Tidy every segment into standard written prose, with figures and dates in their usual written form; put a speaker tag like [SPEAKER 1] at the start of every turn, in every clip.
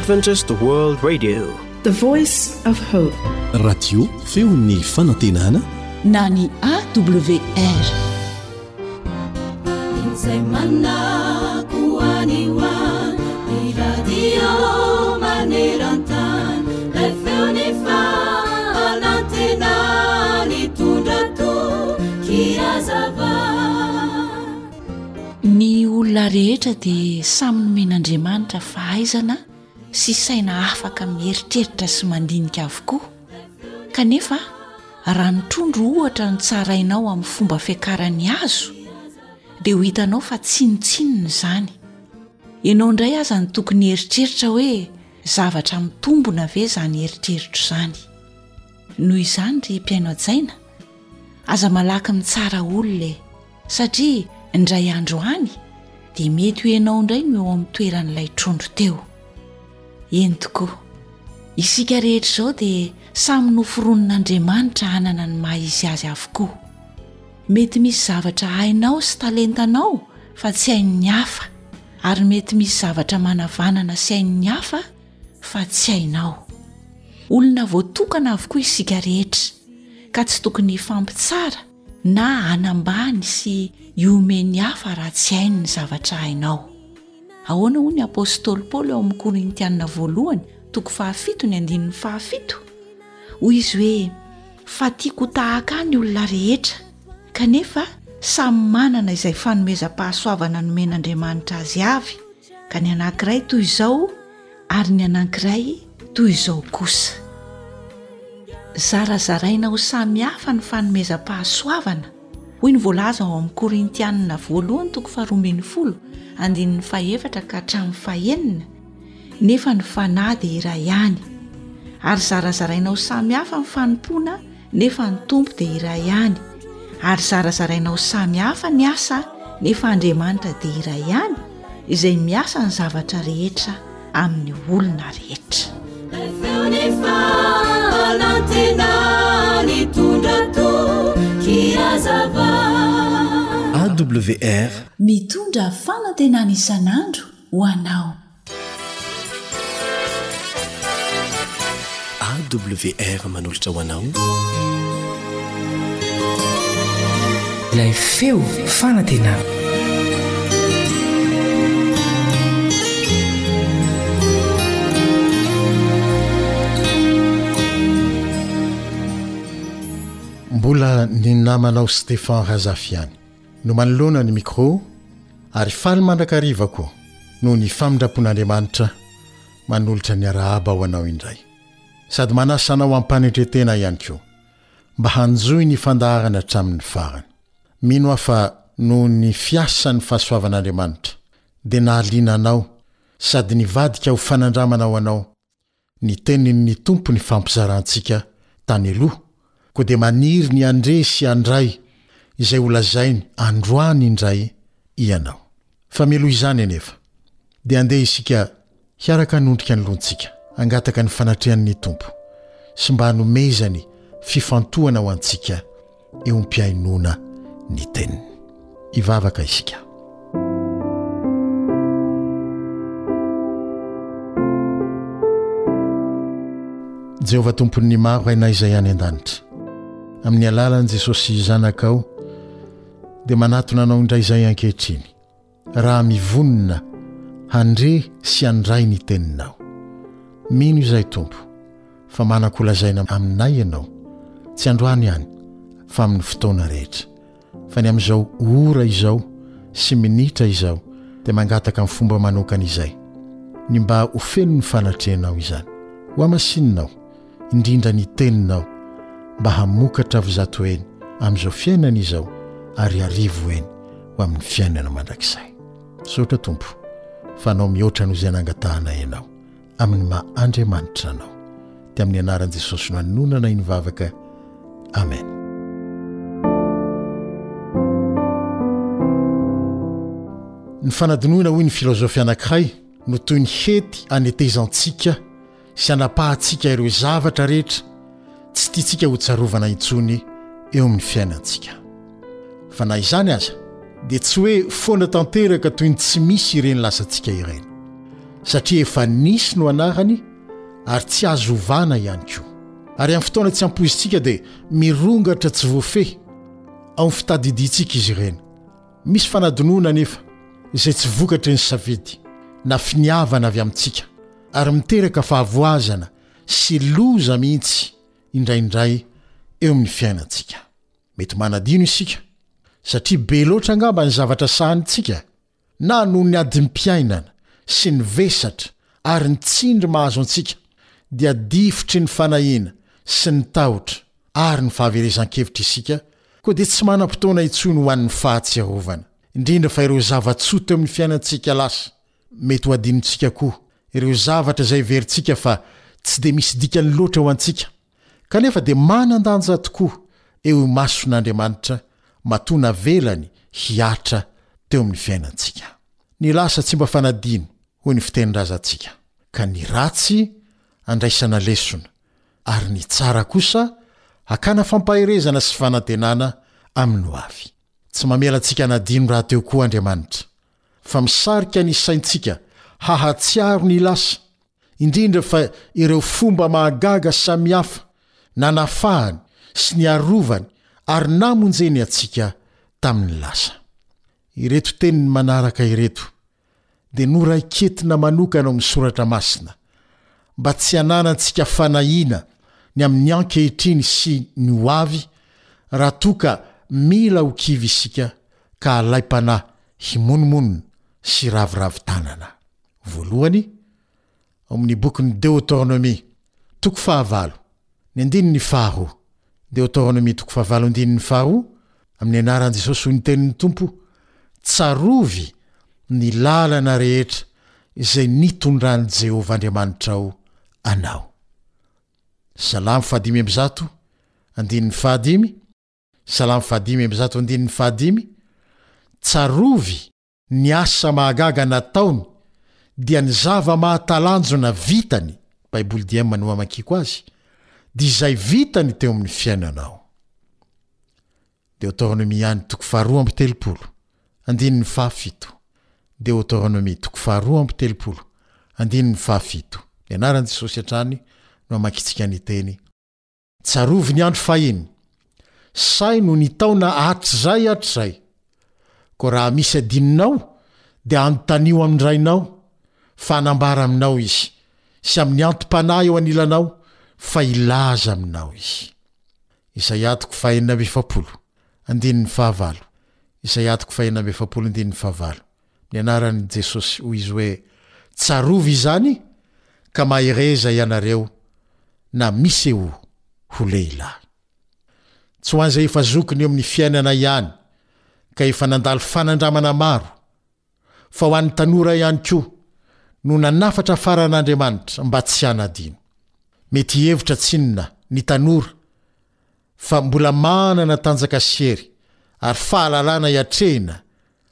[SPEAKER 1] Adventist World Radio.
[SPEAKER 2] The Voice of Hope.
[SPEAKER 3] Radio feon'ny fanantenana
[SPEAKER 4] na ny AWR.
[SPEAKER 5] Izay manako any ho any, ny radio maneran-tany, ilay feon'ny fanantenana nitondra toky hazava.
[SPEAKER 4] Ny olona rehetra dia samy nomen'Andriamanitra fahaizana sy saina afaka mieritreritra sy mandinika avokoa. Kanefa, raha ny trondro ohatra no tsarainao amin'ny fomba fiakaran'ny hazo, dia ho hitanao fa tsinontsinona izany. Ianao indray aza no tokony hieritreritra hoe zavatra mitombina ve izany eritreritro izany. Noho izany ry mpihaino hajaina, aza malaky mitsara olona e! Satria indray andro any dia mety ho ianao indray no eo amin'ny toeran'ilay trondro teo. Eny tokoa, isika rehetra izao dia samy noforonin'Andriamanitra hanana ny maha izy azy avokoa. Mety misy zavatra hainao sy talentanao fa tsy hain'ny hafa, ary mety misy zavatra manavanana sy hain'ny hafa fa tsy hainao. Olona voatokana avokoa isika rehetra, ka tsy tokony hifampitsara na hanambany sy hihomehy ny hafa raha tsy hainy ny zavatra hainao. Ahoana hoy ny apostoly Paoly ao amin'ny Korintiana voalohany toko fahafito ny andininy fahafito? Hoy izy hoe, Fa tiako ho tahaka ahy ny olona rehetra, kanefa samy manana izay fanomezam-pahasoavana nomen'Andriamanitra azy avy, ka ny anankiray toy izao ary ny anankiray toy izao kosa. Zarazaraina ho samy hafa ny fanomezam-pahasoavana, hoy ny voalaza ao amin'ny Korintianina voalohany toko faharoa ambin'ny folo andininy fahefatra ka hatramin'ny fahenina, nefa ny Fanahy dia iray ihany, ary zarazaraina ho samy hafa ny fanompoana nefa ny Tompo dia iray ihany, ary zarazaraina ho samy hafa ny asa nefa Andriamanitra dia iray ihany, izay miasa ny zavatra rehetra amin'ny olona rehetra.
[SPEAKER 3] AWR.
[SPEAKER 4] Mitondra fanantenana isan'andro ho anao.
[SPEAKER 3] AWR manolotra ho anao.
[SPEAKER 6] Ilay feo fanantenana.
[SPEAKER 7] Mbola ny namanao Stephan Razafy ihany no manoloana ny micro ary faly mandrakariva koa noho ny famindram-pon'Andriamanitra manolotra ny arahaba ho anao indray. Sady manasa anao am-panetren-tena ihany koa mba hanjohy ny fandaharana hatramin'ny farany. Mino aho fa noho ny fiasan'ny fahasoavan'Andriamanitra dia nahaliana anao sady nivadika ho fanandramana ho anao ny tenin' ny Tompo nifampizarantsika tany aloha, koa dia maniry ny handre sy handray izay holazainy androany indray ianao. Fa mialoha izany anefa, dia andeha isika hiaraka hanondrika ny lohantsika, hangataka ny fanatrehan' ny Tompo sy mba hanomezany fifantohana ho antsika eo am-pihainoana ny Teniny. Hivavaka isika. Jehovah Tompon'ny maro Rainay izay any an-danitra, amin'ny alalan'i Jesosy Zanakao dia manatona Anao indray izay ankehitriny. raha mivonona handre sy handray ny Teninao. Mino izahay, Tompo, fa manan-kolazaina aminay Ianao, tsy androany ihany, fa amin'ny fotoana rehetra. Fa ny amin'izao ora izao sy minitra izao dia mangataka amin'ny fomba manokana izay, ny mba ho feno ny fanatrehanao izany. Hohamasininao, indrindra ny Teninao, mba hamokatra avy zato heny amin'izao fiainana izao ary arivo heny ho amin'ny fiainana mandrakizay. Misaotra Tompo fa Anao mihoatra noho izay nangatahanay Ianao amin'ny maha Andriamanitra Anao. Dia amin'ny anaran'i Jesosy no anononanay ny vavaka. Amen. Ny fanadinoana hoy ny filozofy anankiray no toy ny hety anetezantsika sy anapahantsika ireo zavatra rehetra tsy tiantsika hotsarovana intsony eo amin'ny fiainantsika. Fa na izany aza, dia tsy hoe foana tanteraka toy ny tsy misy ireny lasantsika ireny. satria efa nisy no anarany ary tsy azo ovana ihany koa. Ary amin'ny fotoana tsy ampoizintsika dia mirongatra tsy voafehy ao amin'ny fitadidiantsika izy ireny. Misy fanadinoana anefa izay tsy vokatry ny safidy na finiavana avy amintsika ary miteraka fahavoazana sy loza mihitsy indraindray eo amin'ny fiainantsika. Mety manadino isika satria be loatra angamba ny zavatra sahanintsika na noho ny adim-piainana sy ny vesatra ary ny tsindry mahazo antsika dia difotry ny fanahiana sy ny tahotra ary ny fahaverezan-kevitra isika koa dia tsy manam-potoana intsony ho an'ny fahatsiarovana, indrindra fa ireo zava-tsoa teo amin'ny fiainantsika lasa. Mety ho adinontsika koa ireo zavatra izay heverintsika fa tsy dia misy dikany loatra ho antsika, kanefa dia manan-danja tokoa eo imason'Andriamanitra matoa navelany hihatra teo amin'ny fiainantsika. Ny lasa tsy mba fanadino, hoy ny fitenin-drazantsika, ka ny ratsy andraisana lesona, ary ny tsara kosa hakana fampaherezana sy fanantenana amin'ny hoavy. Tsy mamela antsika hanadino rahateo koa Andriamanitra, fa misarika ny saintsika hahatsiaro ny lasa, indrindra fa ireo fomba mahagaga samihafa nanafahany sy niarovany ary namonjeny antsika tamin'ny lasa. Ireto teniny manaraka ireto dia noraiketina manokana ao amin'ny Soratra Masina mba tsy hananantsika fanahiana ny amin'ny ankehitriny sy ny ho avy raha toa ka mila ho kivy isika ka alaim-panahy himonomonona sy raviravy tanana. Voalohany, ao amin'ny bokin'ny Deotornomia, toko fahavalo, ny andininy faharoa. Deotornomia toko fahavalo andininy faharoa, Amin'ny anaran'i Jesosy hoy ny tenin'ny Tompo, Tsarovy ny lalana rehetra izay nitondran'i Jehovah Andriamanitrao anao. Salamo fahadimy amby zato, andininy fahadimy, Salamo fahadimy amby zato andininy fahadimy, Tsarovy ny asa mahagaga nataony dia ny zava-mahatalanjona vitany, Baiboly diem no amakiako azy, dia izay vitany teo amin'ny fiainanao. Deoteronomia ihany toko faharoa amby telopolo, andininy fahafito. Deoteronomia toko faharoa amby telopolo, andininy fahafito. Ny anaran'i Jesosy hatrany no amakintsika ny teny. Tsarovy ny andro fahiny, saino ny taona hatrizay hatrizay. Koa raha misy adinonao, dia anontanio amin'ny rainao, fa hanambara aminao izy, sy amin'ny antom-panahy eo anilanao, fa hilaza aminao izy. Isaia toko fahenina amby efapolo, andininy fahavalo. Isaia toko fahenina amby efapolo, andininy fahavalo. Ny anaran'i Jesosy, hoy izy hoe, Tsarovy izany ka mahereza ianareo na misehoa ho lehilahy. Tsy ho an'izay efa zokiny eo amin'ny fiainana ihany ka efa nandalo fanandramana maro, fa ho an'ny tanora ihany koa no nanafatra faran'Andriamanitra mba tsy hanadino. Mety hihevitra tsinona ny tanora fa mbola manana tanjaka sy hery ary fahalalana hiatrehina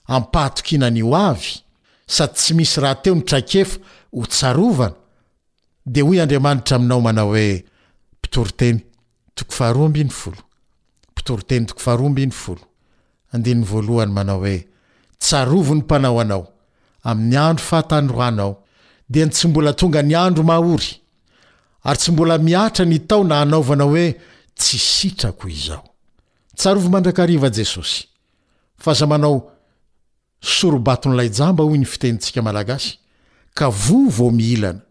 [SPEAKER 7] am-pahatokiana ny ho avy, sady tsy misy rahateo ny traikefa ho tsarovana, dia hoy Andriamanitra aminao manao hoe, Mpitoriteny, toko faharoa ambin'ny folo. Mpitoriteny toko faharoa ambin'ny folo, andininy voalohany manao hoe, Tsarovy ny Mpanao anao, amin'ny andro fahatanoranao, dia ny tsy mbola tonga ny andro mahory, ary tsy mbola mihatra ny taona hanaovana hoe, Tsy sitrako izao. Tsarovy mandrakariva Jesosy, fa aza manao soro-baton'ilay jamba hoy ny fitenintsika malagasy, ka voa vao mihilana.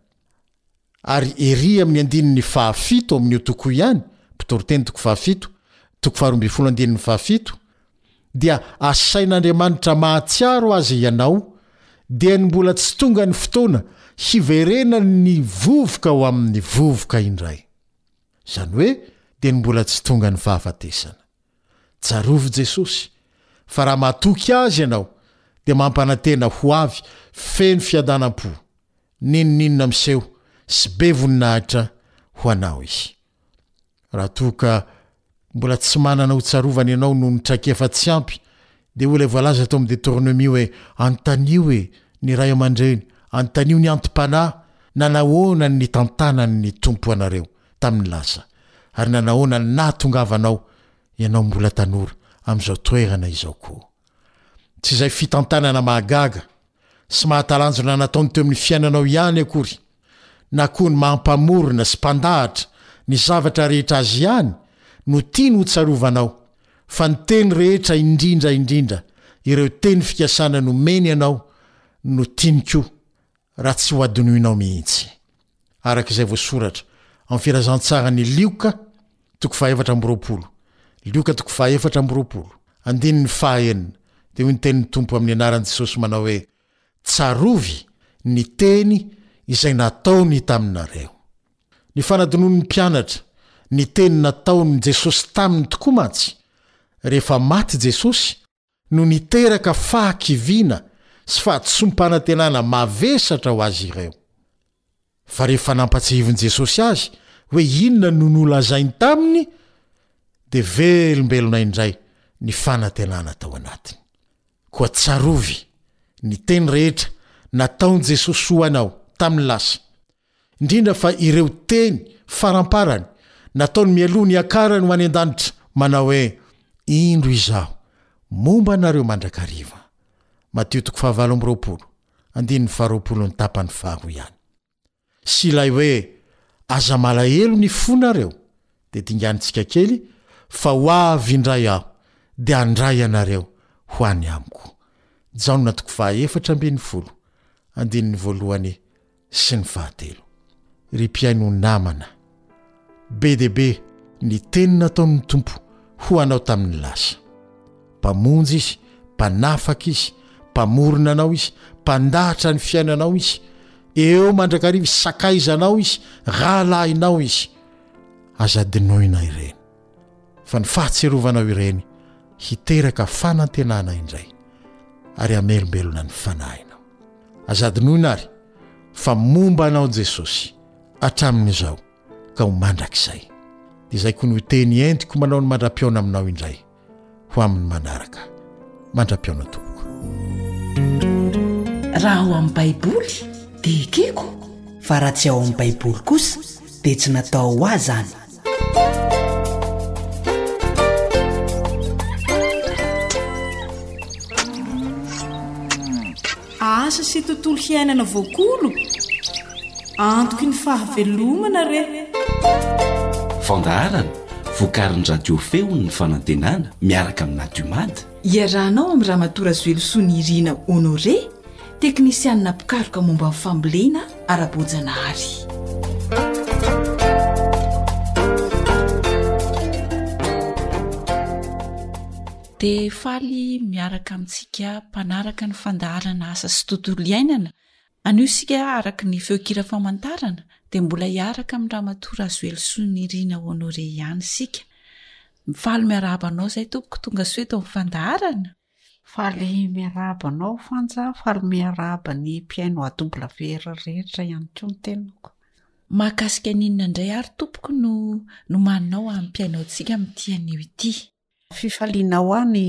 [SPEAKER 7] Ary ery amin'ny andininy fahafito amin'io toko io ihany, Mpitoriteny toko fahafito, toko faharoa ambin'ny folo andininy fahafito, dia asain'Andriamanitra mahatsiaro azy ianao, dia ny mbola tsy tonga ny fotoana hiverenan'ny vovoka ho amin'ny vovoka indray. Izany hoe dia ny mbola tsy tonga ny fahafatesana. Tsarovy Jesosy fa raha matoky Azy ianao dia mampanantena ho avy feno fiadanam-po, n'inon'inona miseho sy be voninahitra ho anao Izy. Raha toa ka mbola tsy manana ho tsarovana ianao noho ny traikefa tsy ampy dia hoy ilay voalaza tao amin'ny Deteronomia hoe anontanio e ny ray aman-dreny, anontanio ny anti-panahy nanahoana ny nitantanan'ny Tompo anareo tamin'ny lasa ary nanahoana ny nahatongavanao ianao mbola tanora amin'izao toerana izao koa. Tsy izay fitantanana mahagaga. sy mahatalanjona nataony teo amin'ny fiainanao ihany akory, na koa ny maha Mpamorona sy Mpandahatra ny zavatra rehetra Azy ihany no tiany hotsarovanao, fa ny teny rehetra indrindra indrindra ireo teny fikasana nomeny anao no tiany koa raha tsy hohadinoinao mihitsy. Araka izay voasoratra ao amin'ny Filazantsaran'i Lioka toko fahaefatra amby 20, Lioka toko fahaefatra amby 20, andininy fahaenina, dia hoy ny tenin'ny Tompo amin'ny anaran'i Jesosy manao hoe, Tsarovy ny teny izay nataony taminareo. Ny fanadinoan'ny mpianatra ny teny nataon'i Jesosy taminy tokoa mantsy, rehefa maty Jesosy, no niteraka fahakiviana sy fahadisoam-panantenana mavesatra ho azy ireo. Fa rehefa nampatsiahivin'i Jesosy azy hoe inona no nolazainy taminy, dia velombelona indray ny fanantenana tao anatiny. Koa tsarovy ny teny rehetra nataon'i Jesosy ho anao tamin'ny lasa, indrindra fa ireo teny faramparany nataony mialoha ny hiakarany ho any an-danitra, manao hoe, Indro Izaho momba anareo mandrakariva. Matio toko fahavalo amby 20, andininy faharoapolo ny tapany faharoa ihany. Sy ilay hoe, Aza malahelo ny fonareo, dia dinganintsika kely, fa ho avy indray Aho, dia handray anareo ho any amiko. Jaona toko fahaefatra 14, andininy voalohany sy ny fahatelo. Ry mpihaino namana, be dia be ny teny nataon'ny Tompo ho anao tamin'ny lasa. Mpamonjy Izy, Mpanafaka Izy, Mpamorona anao Izy, Mpandahatra ny fiainanao Izy, eo mandrakariva Izy, Sakaizanao Izy, Rahalahinao Izy. Aza adinoina ireny, fa ny fahatsiarovanao ireny hiteraka fanantenana indray ary hamelombelona ny fanahinao. Aza adinoina àry fa momba anao Jesosy hatramin'izao ka ho mandrakizay. Dia izay koa no teny entiko manao ny mandra-pihaona aminao indray ho amin'ny manaraka. Mandra-pihaona tompoko.
[SPEAKER 4] Raha ao amin'ny Baiboly dia ekeko.
[SPEAKER 6] Fa raha tsy ao amin'ny Baiboly kosa dia tsy natao ho ahy izany.
[SPEAKER 2] Asa sy tontolo hiainana voakolo? Antoky ny fahavelomana re!
[SPEAKER 3] Fandaharana vokarin'ny Radio Feon'ny Fanantenana miaraka amin'ny Nadiomad.
[SPEAKER 4] Iarahanao amin'i Ramatoa Razoelosoa Nirina Honoré, teknisianina mpikaroka momba ny fambolena ara-boajanahary. Dia faly miaraka amintsika mpanaraka ny fandaharana asa sy tontolo iainana. Anio isika araka ny feon-kira famantarana dia mbola hiaraka amin'i Ramatoa Razoelosoa Nirina Honoré ihany isika. Mifaly miarahaba anao izay tompoko tonga soa eto amin'ny fandaharana.
[SPEAKER 8] Faly miarahaba anao Fanja, faly miarahaba ny mpihaino AWR rehetra ihany koa ny tenako.
[SPEAKER 4] Mahakasika ny inona indray ary tompoko no nomaninao hampihaino antsika amin'ity anio ity?
[SPEAKER 8] Fifaliana ho ahy ny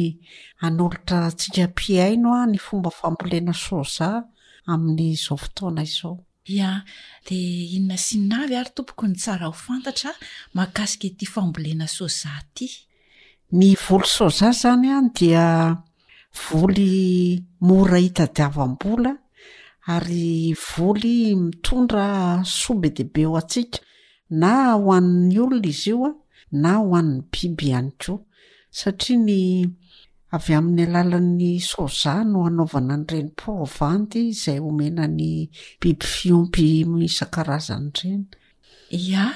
[SPEAKER 8] hanolotra antsika mpihaino ny fomba fambolena soja amin'izao fotoana izao.
[SPEAKER 4] Ya, dia inona sy inona avy ary tompoko no tsara ho fantatra mahakasika ity fambolena soja ity?
[SPEAKER 8] Ny voly soja izany dia voly mora hitadiavam-bola ary voly mitondra soa be dia be ho antsika Na ho an'ny olona izy io na ho an'ny biby ihany koa. Satria ny avy amin'ny alalan'ny soja no anaovana an'ireny provandy izay omena ny biby fiompy isan-karazany ireny.
[SPEAKER 4] Ia,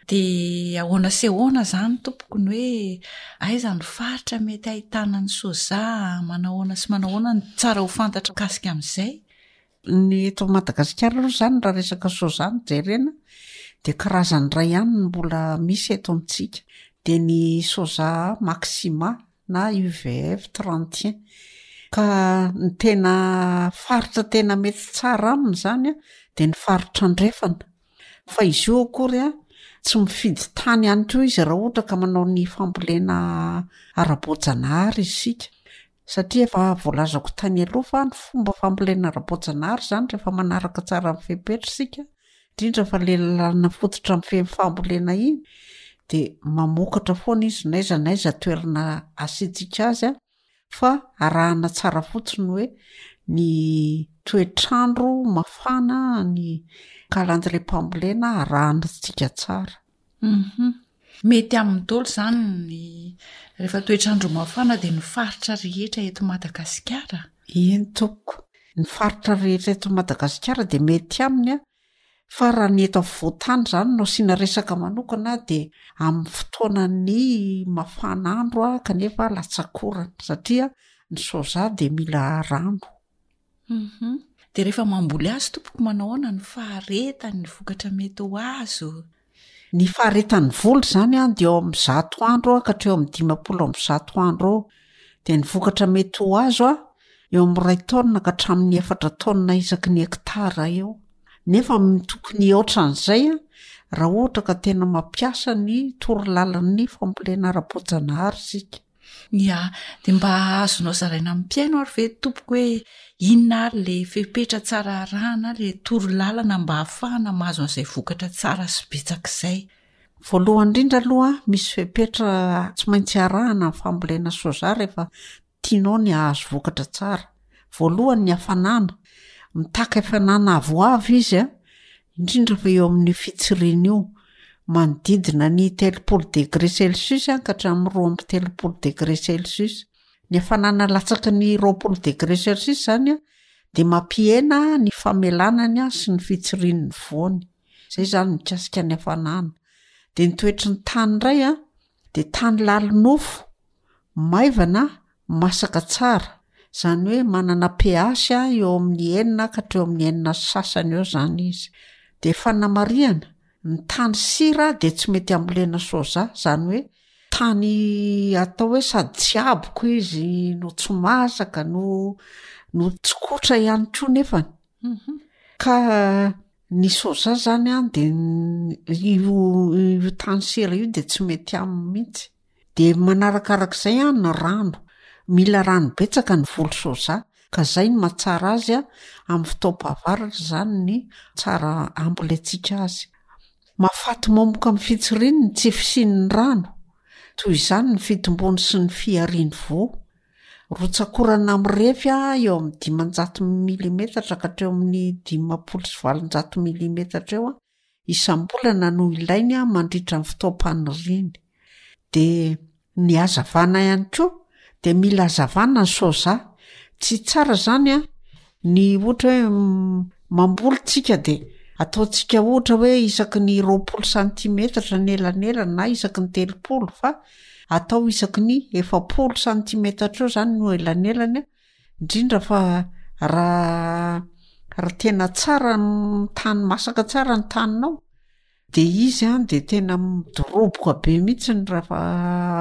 [SPEAKER 4] dia ahoana sy ahoana izany tompoko ny hoe aiza ny faritra mety ahitana ny soja, manao ahoana sy manao ahoana ny tsara ho fantatra mikasika amin'izay?
[SPEAKER 8] Ny eto Madagasikara aloha izany raha resaka soja no jerena dia karazany iray ihany no mbola misy eto amintsika dia ny soja maxima na UVF 31 ka ny tena faritra tena mety tsara aminy izany a dia ny faritra andrefana fa izy io akory a tsy mifidy tany ihany koa izy raha ohatra ka manao ny fambolena ara-boajanahary isika Satria efa voalazako tany aloha fa ny fomba fambolena ara-boajanahary izany rehefa manaraka tsara ny fepetra isika, indrindra fa ilay lalàna fototra mifehy ny fambolena iny, dia mamokatra foana izy n'aiza n'aiza toerana asiantsika azy an, fa arahana tsara fotsiny hoe ny toetr'andro mafana ny kalandriam-pambolena arahantsika tsara.
[SPEAKER 4] Hum Mety aminy daholo izany ny rehefa toetr'andro mafana dia ny faritra rehetra eto Madagasikara?
[SPEAKER 8] Eny tompoko. Ny faritra rehetra eto Madagasikara dia mety aminy fa raha ny eto afovoan-tany izany no asiana resaka manokana dia amin'ny fotoanan'ny mafana andro kanefa latsak'orana satria ny soja dia mila rano.
[SPEAKER 4] Hum Dia rehefa mamboly azy tompoko manao ahoana ny faharetan'ny vokatra mety ho azo?
[SPEAKER 8] Ny faharetan'ny voly izany an dia eo amin'ny zato andro ka hatreo amin'ny 150 andro eo. Dia ny vokatra mety ho azo an, eo amin'ny iray taonina ka hatramin'ny efatra taonina isaky ny hektara eo. Nefa tokony hihoatra an'izay an, raha ohatra ka tena mampiasa ny torolalan'ny fambolena ara-boajanahary isika.
[SPEAKER 4] Ya, dia mba azonao zaraina amin'ny mpihaino ary ve tompoko hoe inona ary le fepetra tsara arahana, le toro lalana mba hahafahana mahazo an'izay vokatra tsara sy betsaka izay?
[SPEAKER 8] Voalohany indrindra aloha, misy fepetra tsy maintsy arahana ny fambolena soja rehefa tianao ny hahazo vokatra tsara. Voalohany ny hafanana, mitaky hafanana avoavo izy an, indrindra fa eo amin'io fitsiriana io, manodidina ny 30 degré celsius ka hatramin'ny 32 degré celsius. Ny hafanana latsaky ny 20 degré celsius izany dia mampihena ny famelanany sy ny fitsirian'ny voany. Izay izany mikasika ny hafanana. Dia ny toetry ny tany indray dia tany lalinofo, maivana Masaka tsara, izany hoe manana pH eo amin'ny enina ka hatreo amin'ny enina sy sasany eo izany izy. Dia fanamarihana, ny tany sira dia tsy mety ambolena soja, izany hoe tany atao hoe sady tsy haboko izy no tsy masaka no no tsy kotra ihany koa nefany. Ka ny soja zany an de io io tany sira io de tsy mety aminy mihitsy. De manarakarak'izay an ny rano, mila rano betsaka ny voly soja ka zay no mahatsara azy an amin'ny fotoam-pahavaratra zany ny tsara ambolentsika azy. Mahafaty momoka amin'ny fitsiriany ny tsy fisian'ny rano, toy izany ny fitombony sy ny fihariany voa. Rotsak'orana mirefy eo amin'ny 500 milimetatra ka hatreo amin'ny 850 milimetatra eo isam-bolana no ilainy mandritra ny fotoam-paniriany. De ny hazavana ihany koa de mila hazavana ny soja. Tsy tsara zany a ny ohatra hoe mamboly tsika de ataontsika ohatra hoe isaky ny 20 santimetatra ny elanelany na isaky ny 30 fa atao isaky ny 40 santimetatra eo zany no elanelany a, indrindra fa raha raha tena tsara ny tany masaka tsara ny taninao de izy an de tena midoroboka be mihitsy ny raha fa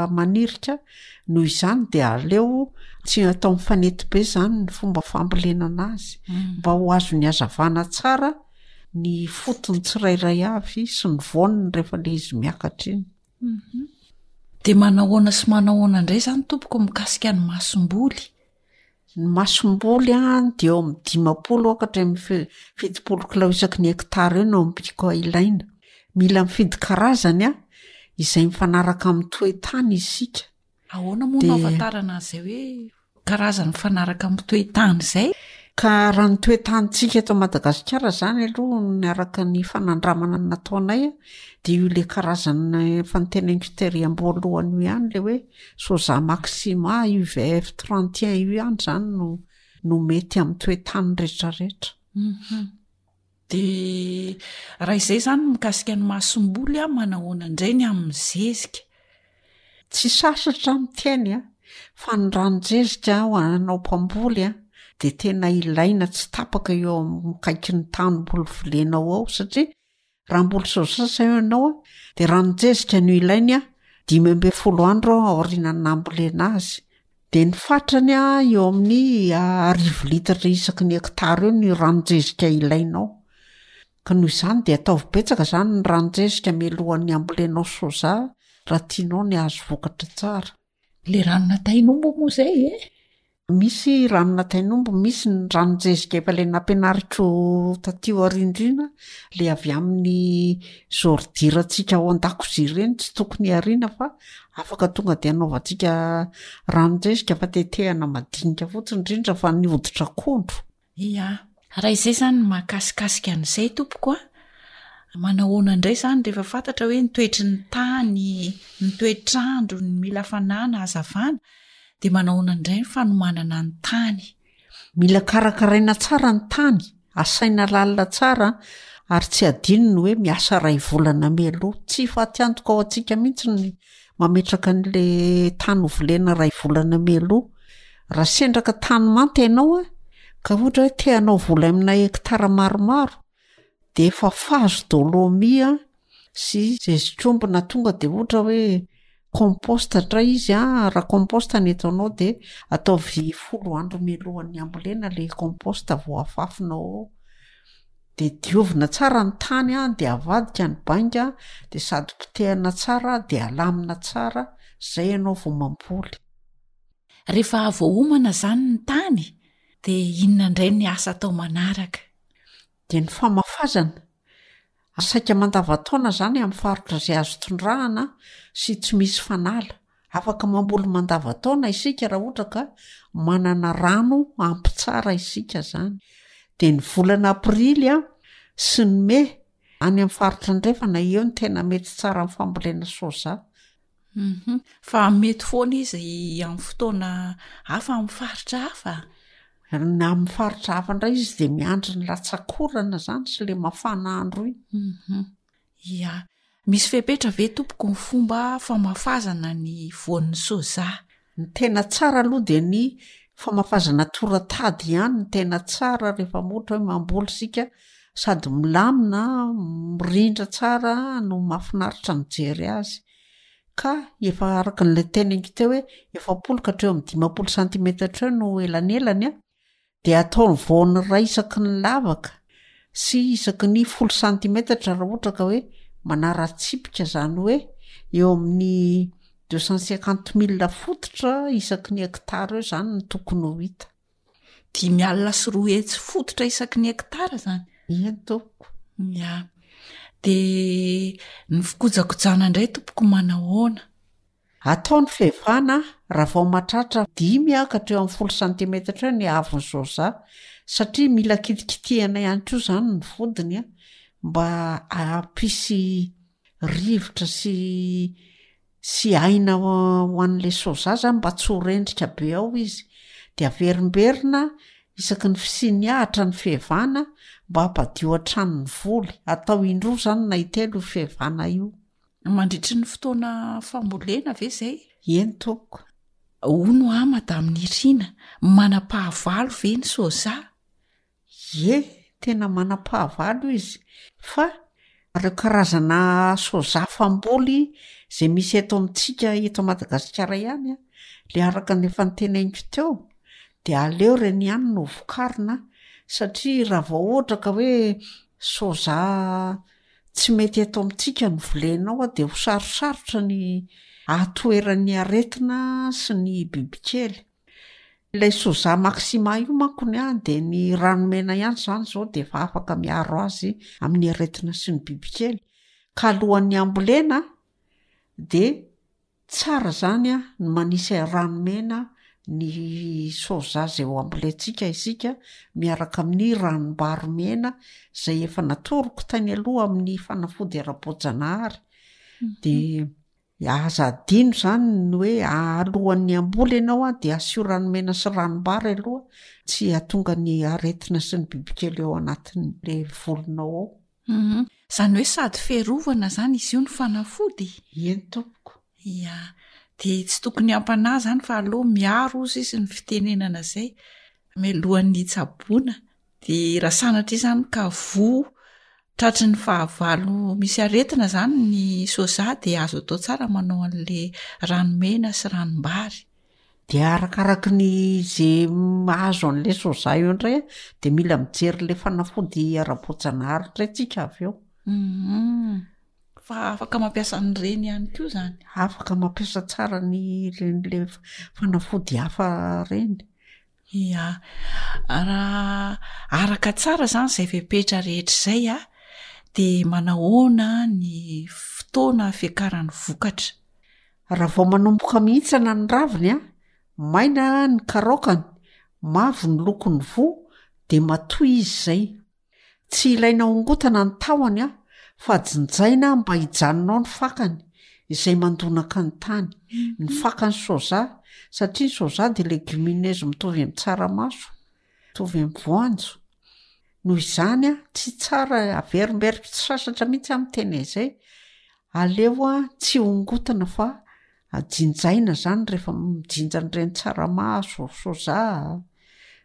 [SPEAKER 8] manirika noho izany de aleo tsy atao mifanety be zany ny fomba fambolena anazy mm. mba ho azony hazavana tsara ny fotony tsirairay avy sy ny voaniny rehefa le izy miakatra iny
[SPEAKER 4] Mhm. De manahoana sy manahoana indray zany tompoko mikasika ny masomboly?
[SPEAKER 8] Ny masomboly an dia eo amin'ny 50 ka hatramin'ny 70 kilao isaky ny hektara eo no ambiko ilaina. Mila mifidy karazany an izay mifanaraka amin'ny toe-tany isika.
[SPEAKER 4] Ahoana moa no ahafantarana an'izay hoe karazany mifanaraka amin'ny toe-tany izay?
[SPEAKER 8] Ka raha ny toe-tanintsika eto Madagasikara izany aloha ny araka ny fanandramana nataonay dia io le karazana efa noteneniko tery am-boalohany io ihany le hoe soja maxima UVF 31 io ihany izany no no mety amin'ny toe-tany rehetrarehetra.
[SPEAKER 4] Mhm. De raha izay izany mikasika ny masomboly a, manahoana indray ny amin'ny zezika?
[SPEAKER 8] Tsy sasatra aho miteny a, fa ny ranon-jezika ho anao mpamboly a, de tena ilaina tsy tapaka eo akaikin'ny tanimboly volenao ao satria raha hamboly soja zao ianao a, de ranon-jezika no ilainy a, 15 andro aorianan'ny nambolena azy, de ny fatrany a eo amin'ny arivo litatra isaky ny hektara eo ny ranon-jezika ilainao. Ka noho izany dia ataovy betsaka izany ny ranon-jezika mialohan'ny hambolenao soja raha tianao ny hahazo vokatra tsara.
[SPEAKER 4] Le ranona tain'omby moa izay e?
[SPEAKER 8] Misy ranona tain'omby, misy ny ranon-jezika efa le nampianariko taty aoriandriana, le avy amin'ny zôrdirantsika ao an-dakozia ireny tsy tokony hariana fa afaka tonga de anaovantsika ranon-jezika fa tetehana madinika fotsiny, indrindra fa ny hoditr'akondro.
[SPEAKER 4] Ia. Raha izay izany ny mahakasikasika an'izay tompoko a, manahoana indray izany rehefa fantatra hoe ny toetry ny tany, ny toetr'andro, ny mila hafanana, hazavana, dia manahoana indray ny fanomanana ny tany?
[SPEAKER 8] Mila karakaraina tsara ny tany, asaina lalina tsara ary tsy adino ny hoe miasa iray volana mialoha. Tsy fatiantoka ho antsika mihitsy ny mametraka an'le tany ho volena iray volana mialoha. Raha sendra ka tany manta ianao a, ka ohatra hoe te hanao voly amina hektara maromaro, de efa fazo dolomie sy zezik'omby na tonga de ohatra hoe compost ndray izy a, raha compost ny ataonao de ataovy folo andro mialohan'ny hambolena le compost vao afafinao ao. De diovina tsara ny tany a, de avadika ny bainga, de sady potehana tsara de alamina tsara, zay ianao vao mamboly.
[SPEAKER 4] Rehefa voaomana izany ny tany dia inona indray ny asa atao manaraka?
[SPEAKER 8] Dia ny famafazana. Saika mandavantaona izany amin'ny faritra izay azo tondrahana sy tsy misy fanala. Afaka mamboly mandavantaona isika raha ohatra ka manana rano ampy tsara isika izany. Dia ny volana aprily sy ny mey any amin'ny faritra andrefana eo no tena mety tsara amin'ny fambolena soja.
[SPEAKER 4] Hum fa mety foana izy amin'ny fotoana hafa amin'ny faritra hafa?
[SPEAKER 8] Na amin'ny faritra hafa indray izy dia miandry ny latsak'orana izany sy ilay mafana andro iny.
[SPEAKER 4] Hum ia. Misy fepetra ve tompoko ny fomba famafazana ny voan'ny soja?
[SPEAKER 8] Ny tena tsara aloha dia ny famafazana toratady ihany no tena tsara rehefa ohatra hoe mamboly isika sady milamina, mirindra tsara no mahafinaritra mijery azy. Ka efa araka an'ilay teneniko teo hoe 40 ka hatreo amin'ny 50 santimetatra eo no elanelany an, dia atao ny voany iray isaky ny lavaka sy isaky ny folo santimetatra raha ohatra ka hoe manara-tsipika izany hoe eo amin'ny deux cent cinquante mille fototra isaky ny hectare eo izany no tokony ho hita.
[SPEAKER 4] 250 fototra isaky ny hectare izany?
[SPEAKER 8] Eny tompoko.
[SPEAKER 4] Ya. Dia ny fikojakojana indray tompoko manahoana?
[SPEAKER 8] Atao ny fiavana raha vao mahatratra dimy ka hatreo amin'ny folo santimetatra eo ny haavon'ny soja satria mila kitikitihana ihany koa izany ny vodiny a, mba hampisy rivotra sy sy aina ho an'ilay soja zany mba tsy ho rendrika be ao izy. De averimberina isaky ny fisian'ny ahitra ny fiavana mba hampadio hatrany ny voly. Atao indroa izany na intelo io fiavana io.
[SPEAKER 4] Mandritry ny fotoana fambolena ve izay?
[SPEAKER 8] Eny tompoko.
[SPEAKER 4] Hono aho Madame Nirina, manam-pahavalo ve ny soja?
[SPEAKER 8] Ie, tena manam-pahavalo izy. Fa ireo karazana soja famboly izay misy eto amintsika eto Madagasikara ihany an, le araka ny efa noteneniko teo, de aleo ireny ihany no vokarina satria raha vao ohatra ka hoe soja Tsy mety eto amintsika ny volenao dia ho sarosarotra ny hahatoheran'ny aretina sy ny bibikely. Ilay soja maxima io manko ny ahy dia ny rano mena ihany izany izao dia efa afaka miaro azy amin'ny aretina sy ny bibikely. Ka alohan'ny hambolena dia Tsara zany a ny manisy rano mena ny soja zay ho ambolentsika isika miaraka amin'ny ranom-bary mena zay efa natoroko tany aloha amin'ny fanafody ara-boajanahary de aza adino zany ny hoe alohan'ny hamboly ianao a de asio rano mena sy ranom-bary aloha tsy hahatonga ny aretina sy ny bibikely ao anatin'le volinao ao.
[SPEAKER 4] Hum, izany hoe sady fiarovana izany izy io no fanafody?
[SPEAKER 8] Eny tompoko.
[SPEAKER 4] Ia, dia tsy tokony hampanahy izany fa aleo miaro hozy izy ny fitenenana izay mialohan'ny hitsaboana. Dia raha sanatria izany ka voa tratry ny fahavalo misy aretina izany ny soja dia azo atao tsara manao an'ilay rano mena sy ranom-bary.
[SPEAKER 8] De arakaraky ny ze mahazo an'le soja eo indray a, de mila mijery le fanafody ara-boajanahary indray tsika avy eo.
[SPEAKER 4] Hum, fa afaka mampiasa an'ireny ihany koa zany?
[SPEAKER 8] Afaka mampiasa tsara ny reny le fanafody hafa reny.
[SPEAKER 4] Ia. Raha araka tsara izany izay fepetra rehetra izay a, dia manahoana ny fotoana fiakaran'ny vokatra?
[SPEAKER 8] Raha vao manomboka mihintsana ny raviny a, maina ny karaokany, mavo ny lokon'ny voa dia matoy izy izay. Tsy ilaina hongotana ny tahony a, fa jinjaina mba hijanona ao ny fakany, izay mandonaka ny tany. Ny fakan'ny soja, satria ny soja dia legumineuse mitovy amin'ny tsaramaso, mitovy amin'ny voanjo. Noho izany a, tsy tsara, averimberiko tsy sasatra mihitsy aho miteny an'izay, aleo a tsy hongotana fa jinjaina zany rehefa mijinja an'ireny tsaramaso, soja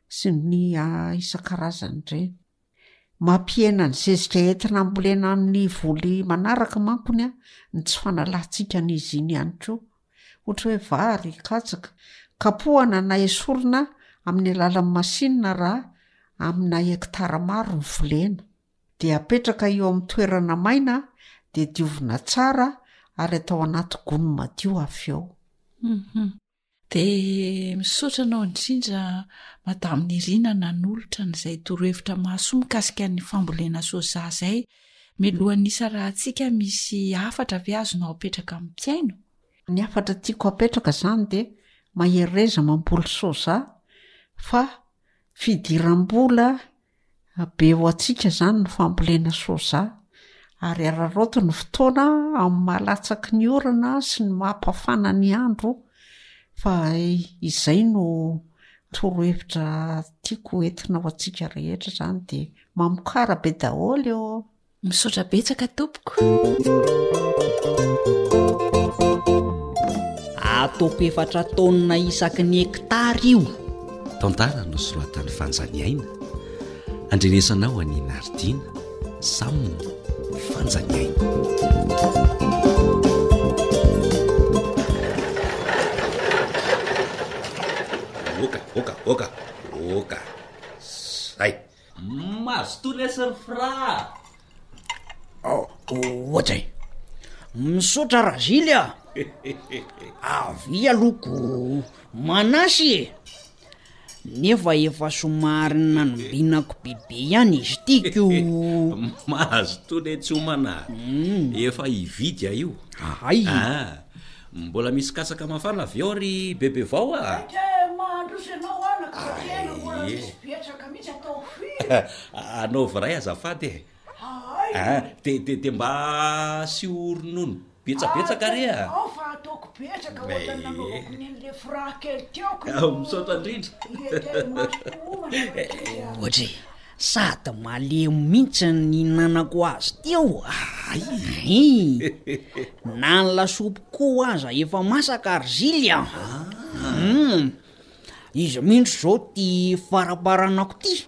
[SPEAKER 8] sy ny isan-karazany ireny. Mampihena ny zezika entina hambolena amin'ny voly manaraka mankony a ny tsy fanalantsika an'izy iny ihany koa. Ohatra hoe vary, katsaka. Kapohana na esorina amin'ny alalan'ny masinina raha amina hektara maro ny volena. Dia apetraka eo amin'ny toerana maina dia diovina tsara ary atao anaty gony madio avy eo.
[SPEAKER 4] Dia misaotra anao indrindra Madame Nirina nanolotra an'izay torohevitra mahasoa mikasika ny fambolena soja izay. Milohan'ny hisarahantsika misy hafatra ve azonao apetraka amin'ny mpihaino?
[SPEAKER 8] Ny hafatra tiako apetraka izany dia mahereza mamboly soja fa fidiram-bola Be ho antsika izany ny fambolena soja ary araraoty ny fotoana amin'ny maha latsaky ny orana sy ny maha-mpafana ny andro fa izay no torohevitra tiako hoentina ho antsika rehetra izany dia mamokara be daholo ô!
[SPEAKER 4] Misaotra betsaka tompoko.
[SPEAKER 6] Ataoko efatra taonina isaky ny hectare io.
[SPEAKER 3] Tantara nosoratan'i Fanjaniaina, andrenesanao an'i Naridiana, Sam Fanjaniaina.
[SPEAKER 9] Oka, oka, oka, oka. Zay. Mazotoa lesy ry Fra a!
[SPEAKER 6] Ohatra e! Misaotra Razily a! Avia aloha ko manasy e! Nefa efa somary nanombinako bebe ihany izy ity ko!
[SPEAKER 9] Mazotoa letsy homana a! Efa hividy aho io.
[SPEAKER 6] Hay!
[SPEAKER 9] Ah! Mbola misy katsaka mafana avy ao ry bebe vao a!
[SPEAKER 10] Saika mandroso ianao anaka satria ena mbola tsisy betsaka mihitsy atao firy.
[SPEAKER 9] Anaovy iray azafady e!
[SPEAKER 10] Hay!
[SPEAKER 9] Ah, de de de mba asio ronono betsabetsaka re a!
[SPEAKER 10] Ao fa ataoko betsaka ohatran'ny nanaovako n'iny le fra kely teo ko.
[SPEAKER 9] Misaotra indrindra.
[SPEAKER 10] Ie, tena mazotoa homana rankizy a!
[SPEAKER 6] Ohatra e! Sady malemy mihitsy ny nihinanako azy teo a! Hay! Na ny lasopy koa aza efa masaka ry Zily a! Hum! Izy mihitsy izao ty faramparanako ty,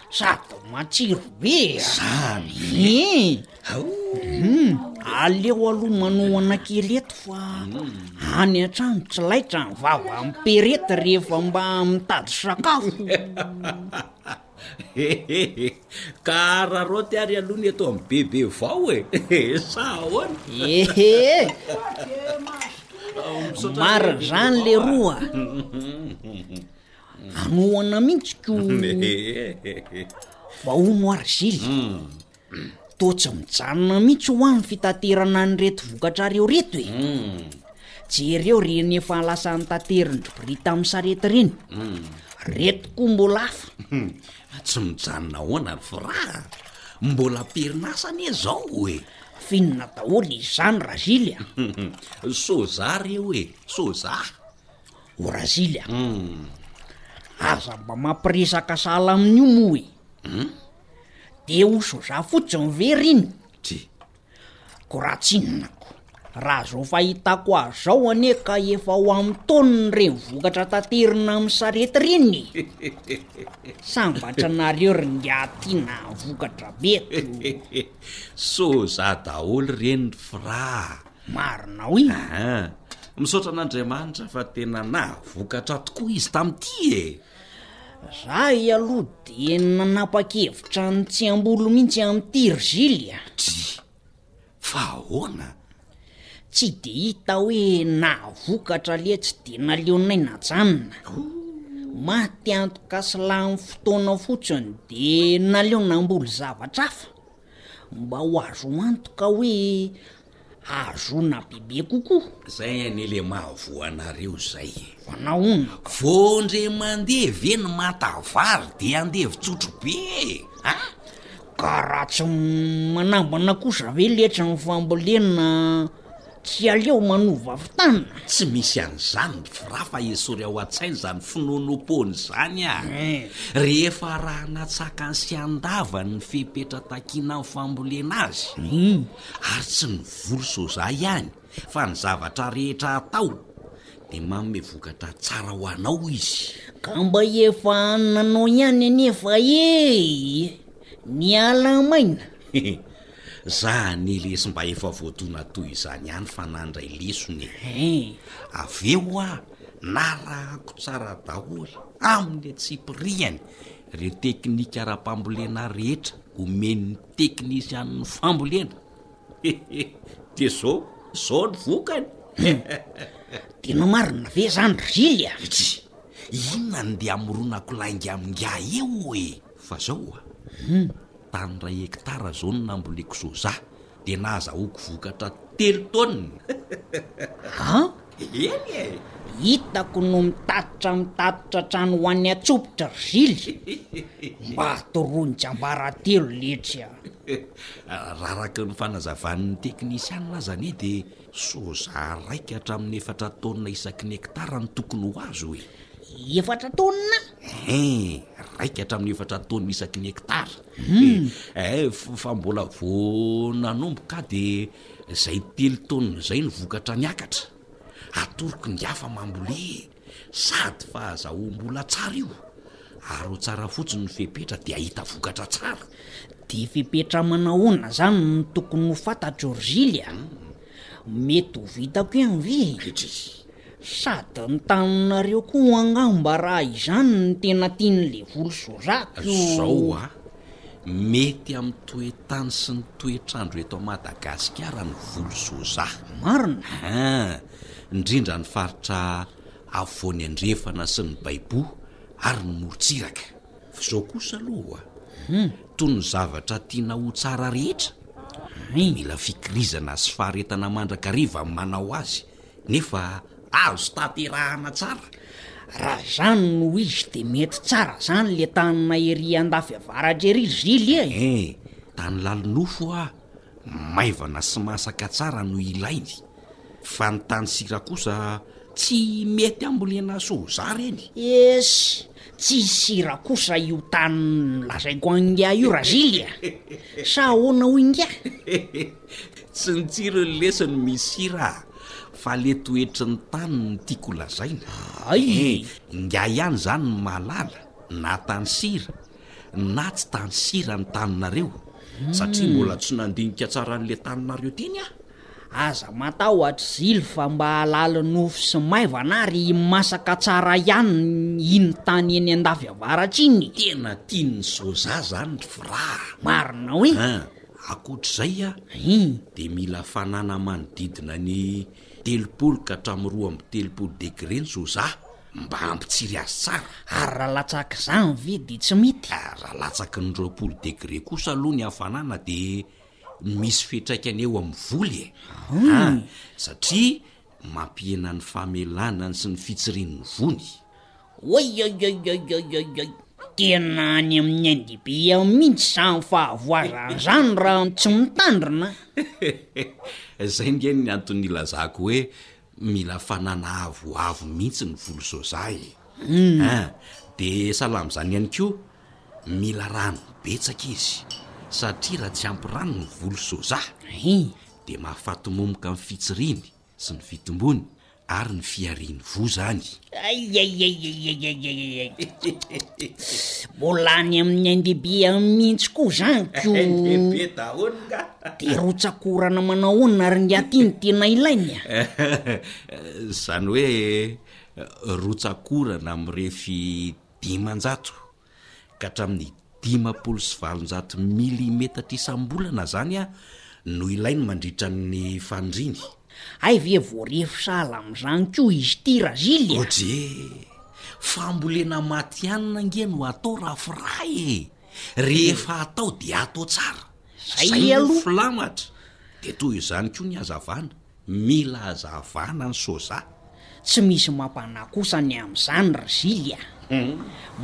[SPEAKER 6] sady matsiro be a!
[SPEAKER 9] Zany
[SPEAKER 6] e! Hum! Aleo aloha manohana kely eto fa any an-trano tsy laitra ny vava miperety rehefa mba mitady sakafo.
[SPEAKER 9] Hehehe, ka araraoty ary aloha ny eto amin'ny bebe vao e, sa ahoana?
[SPEAKER 6] Ehe, marina zany leroa a, anohana mihitsy ko, fa hono ary Zily, Toa tsy mijanona mihitsy hoa ny fitaterana an'ireto vokatrareo ireto e! Jereo ireny efa lasa notaterin-dry Brita amin'ny sarety ireny. Ireto koa mbola hafa.
[SPEAKER 9] Tsy mijanona ahoana ry Fra a! Mbola am-perinasa anie izao e!
[SPEAKER 6] F'inona daholo izany Razily a?
[SPEAKER 9] Soja reo e! Soja!
[SPEAKER 6] O Razily a! Aza mba mampiresaka sahala amin'io moa e! De ho soja fotsiny ve r'iny?
[SPEAKER 9] Dry.
[SPEAKER 6] Ko raha tsy inona ko. Raha zao fahitako azy zao anie ka efa ho amin'ny taoniny ireny vokatra taterina amin'ny sarety ireny e! Sambatra nareo ry ngiahy ty nahavokatra be ko.
[SPEAKER 9] Soja daholo ireny ry Fra a!
[SPEAKER 6] Marina hoy.
[SPEAKER 9] Aa! Misaotra an'Andriamanitra fa tena nahavokatra tokoa izy tamin'ity e!
[SPEAKER 6] Zahay aloha dia nanapa-kevitra ny tsy hamboly mihitsy amin'ity ry Zily a!
[SPEAKER 9] Dry! Fa ahoana?
[SPEAKER 6] Tsy dia hita hoe nahavokatra letsy dia naleonay najanona. Maty antoka sy lany fotoana fotsiny de naleo namboly zavatra hafa mba ho azo antoka hoe ahazoana bebe kokoa.
[SPEAKER 9] Zay anie le mahavoa anareo zay e.
[SPEAKER 6] Fa nahoana
[SPEAKER 9] ka? Vao ndre mandeha ve ny manta vary de andevo-tsotro be e! A!
[SPEAKER 6] Ka raha tsy manambana kosa ve letsy ny fambolena tsy aleo manova fitana?
[SPEAKER 9] Tsy misy an'izany ry Fra fa esory ao an-tsaina izany finoanoam-poana izany a! Rehefa arahana an-tsakany sy an-davany ny fepetra takiana amin'ny fambolena azy, ary tsy ny voly soja ihany fa ny zavatra rehetra atao dia manome vokatra tsara ho anao izy.
[SPEAKER 6] Ka mba efa nanao ihany anefa e! Niala maina.
[SPEAKER 9] Za anie lesy mba efa voadona toy izany ihany fa nandray lesona e! Avy eo hoa narahako tsara daholo amin'ny antsipiriany ireo teknika ara-pambolena rehetra omen'ny teknisianin'ny fambolena. Dia zao, zao ny vokany.
[SPEAKER 6] Tena marina ve zany ry Zily a?
[SPEAKER 9] Dry, inona no ndeha hamoronako lainga amin'ingahy eo e? Fa zao a, tany iray hektara zao no namboleko soja, dia nahazahoako vokatra telo taonina.
[SPEAKER 6] An?
[SPEAKER 9] Eny e!
[SPEAKER 6] Hitako no mitatitra mitatitra hatrany ho any Antsopitra ry Zily. Mba atoroy ny tsiambaratelo letsy a!
[SPEAKER 9] Raha araka ny fanazavan'ny teknisianina aza anie dia soja raika hatramin'ny efatra taonina isaky ny hektara no tokony ho azo e!
[SPEAKER 6] Efatra taonina?
[SPEAKER 9] Hein, raika hatramin'ny efatra taonina isaky ny hektara. Eh, fa mbola vao nanomboka aho dia izay telo taonina izay no vokatra niakatra. Atoroko ny hafa mambole e! Sady fahazahoam-bola tsara io, ary ho tsara fotsiny ny fepetra dia hahita vokatra tsara.
[SPEAKER 6] Dia fepetra manahoana izany no tokony ho fantatro ry Zily a? Mety ho vitako ihany ve e?
[SPEAKER 9] Dry.
[SPEAKER 6] Sady ny taninareo koa angamba raha izany no tena tian'le voly soja ko.
[SPEAKER 9] Zao a! Mety amin'ny toe-tany sy ny toetr'andro eto Madagasikara ny voly soja.
[SPEAKER 6] Marina?
[SPEAKER 9] Hein! Indrindra ny faritra afovoany andrefana sy ny baiboho ary ny morontsiraka. F'izao kosa aloha, toy ny zavatra tiana ho tsara rehetra, mila fikirizana sy faharetana mandrakariva ny manao azy, nefa azo tanterahana tsara.
[SPEAKER 6] Raha izany no izy de mety tsara zany le taninay ery andafy avaratra ery ry Zily e!
[SPEAKER 9] Hein, tany lalinofo hoa, maivana sy masaka tsara no ilainy. Fa ny tany sira kosa tsy mety ambolena soja reny.
[SPEAKER 6] Esy, tsy sira kosa io tany nolazaiko an'ingahy io Razily a! Sa ahoana hoy ingahy?
[SPEAKER 9] Tsy ny tsirony lesy no misy sira a! Fa le toetry ny tany no tiako holazaina.
[SPEAKER 6] Hay!
[SPEAKER 9] Eh, ingahy ihany izany no mahalala na tany sira na tsy tany sira ny taninareo, satria mbola tsy nandinika tsara an'le taninareo teny aho.
[SPEAKER 6] Aza matahotra Zily fa mba halala nofo sy maivana ary masaka tsara ihany iny tany eny andafy avaratra iny.
[SPEAKER 9] Tena tian'ny soja zany ry Fra a!
[SPEAKER 6] Marina hoe?
[SPEAKER 9] An, ankoatr'izay a, dia mila hafanana manodidina ny 30 ka hatramin'ny 32 degré ny soja mba hampitsiry azy tsara.
[SPEAKER 6] Ary raha latsak'izany ve dia tsy mety?
[SPEAKER 9] Raha latsaky ny 20 degré kosa aloha ny hafanana dia misy fiantraikany eo amin'ny voly e! An! Satria mampihena ny famelanany sy ny fitsirian'ny vony.
[SPEAKER 6] Oioioioioioioi! Tena any amin'ny ain-dehibe any mihitsy izany fahavoazana izany raha tsy mitandrina a!
[SPEAKER 9] Izay nge ny antony nilazako hoe mila fanana avoavo mihitsy ny voly soja e! An! Dia sahala amin'izany ihany koa, Mila rano betsaka izy satria raha tsy ampy rano ny voly soja dia mahafaty momoka ny fitsiriany sy ny fitombony ary ny fihariany voa izany.
[SPEAKER 6] Aiaiaiaiaiaiaiai. Mbola any amin'ny ain-dehibe any mihitsy koa izany ko.
[SPEAKER 9] Ain-dehibe daholo nga.
[SPEAKER 6] Dia rotsak'orana manao ahoana ary ingahy ity no tena ilainy a?
[SPEAKER 9] Izany hoe rotsak'orana mirefy 500 ka hatramin'ny 850 milimetatra isam-bolana izany no ilainy mandritra ny faniriany.
[SPEAKER 6] Hay ve voarefy sahala amin'izany koa izy ity Razily a!
[SPEAKER 9] Odryy! Fambolena matihanina ange no atao Rafra e! Rehefa atao dia atao tsara.
[SPEAKER 6] Zay
[SPEAKER 9] no
[SPEAKER 6] aloha.
[SPEAKER 9] filamatra. Dia toy izany koa ny hazavana. Mila hazavana ny soja.
[SPEAKER 6] Tsy misy mampanahy kosa ny amin'izany ry Zily a!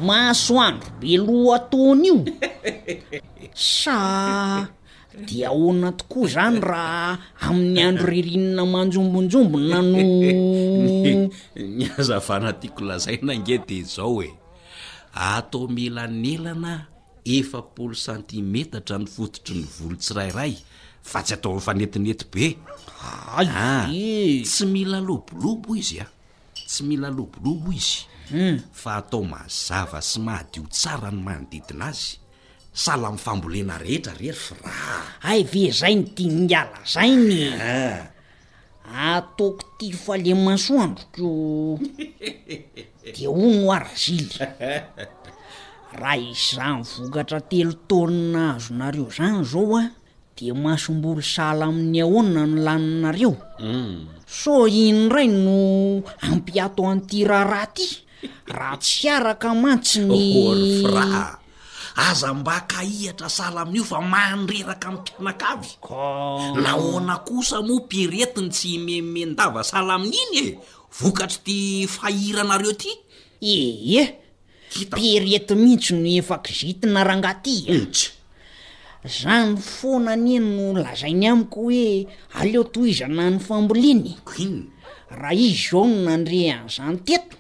[SPEAKER 6] Masoandro be lohataona io! Sa dia ahoana tokoa izany raha amin'ny andro ririnina manjombonjombona no.
[SPEAKER 9] Ny hazavana tiako lazaina ange dia izao e! Ato amelanelana 40 santimetatra ny fototry ny volo tsirairay fa tsy atao mifanetinety be.
[SPEAKER 6] Hay
[SPEAKER 9] Ah,
[SPEAKER 6] ve!
[SPEAKER 9] tsy mila lobolobo izy a! Tsy mila lobolobo izy fa atao mazava sy madio tsara ny manodidina azy. Sahala amin'ny fambolena rehetra re ry Fra a!
[SPEAKER 6] Hay ve zay no tian'ingahy lazaina e!
[SPEAKER 9] Ah.
[SPEAKER 6] Ataoko ty fa le masoandro ko de hono hoa razily, raha izany vokatra telo taonina azonareo zany zao an de masomboly sahala amin'ny ahoana no laninareo? Sao iny indray no hampiato an'ity raharaha ty? Raha tsy araka mantsy ny.
[SPEAKER 9] Ô ry Fra a! Aza mba kahihatra sahala amin'io fa mandreraka ny mpianakavy.
[SPEAKER 6] Ka.
[SPEAKER 9] Nahoana kosa moa Pierrette no tsy himenomenon-dava sahala amin'iny e? Vokatr'ity fahiranareo ity?
[SPEAKER 6] Ee, Pierrette mihitsy no efa kizitina rangahy ty a! Zany foana anie no lazainy amiko hoe aleo tohizana ny fambolena e! Raha izy izao no nandre an'izany teto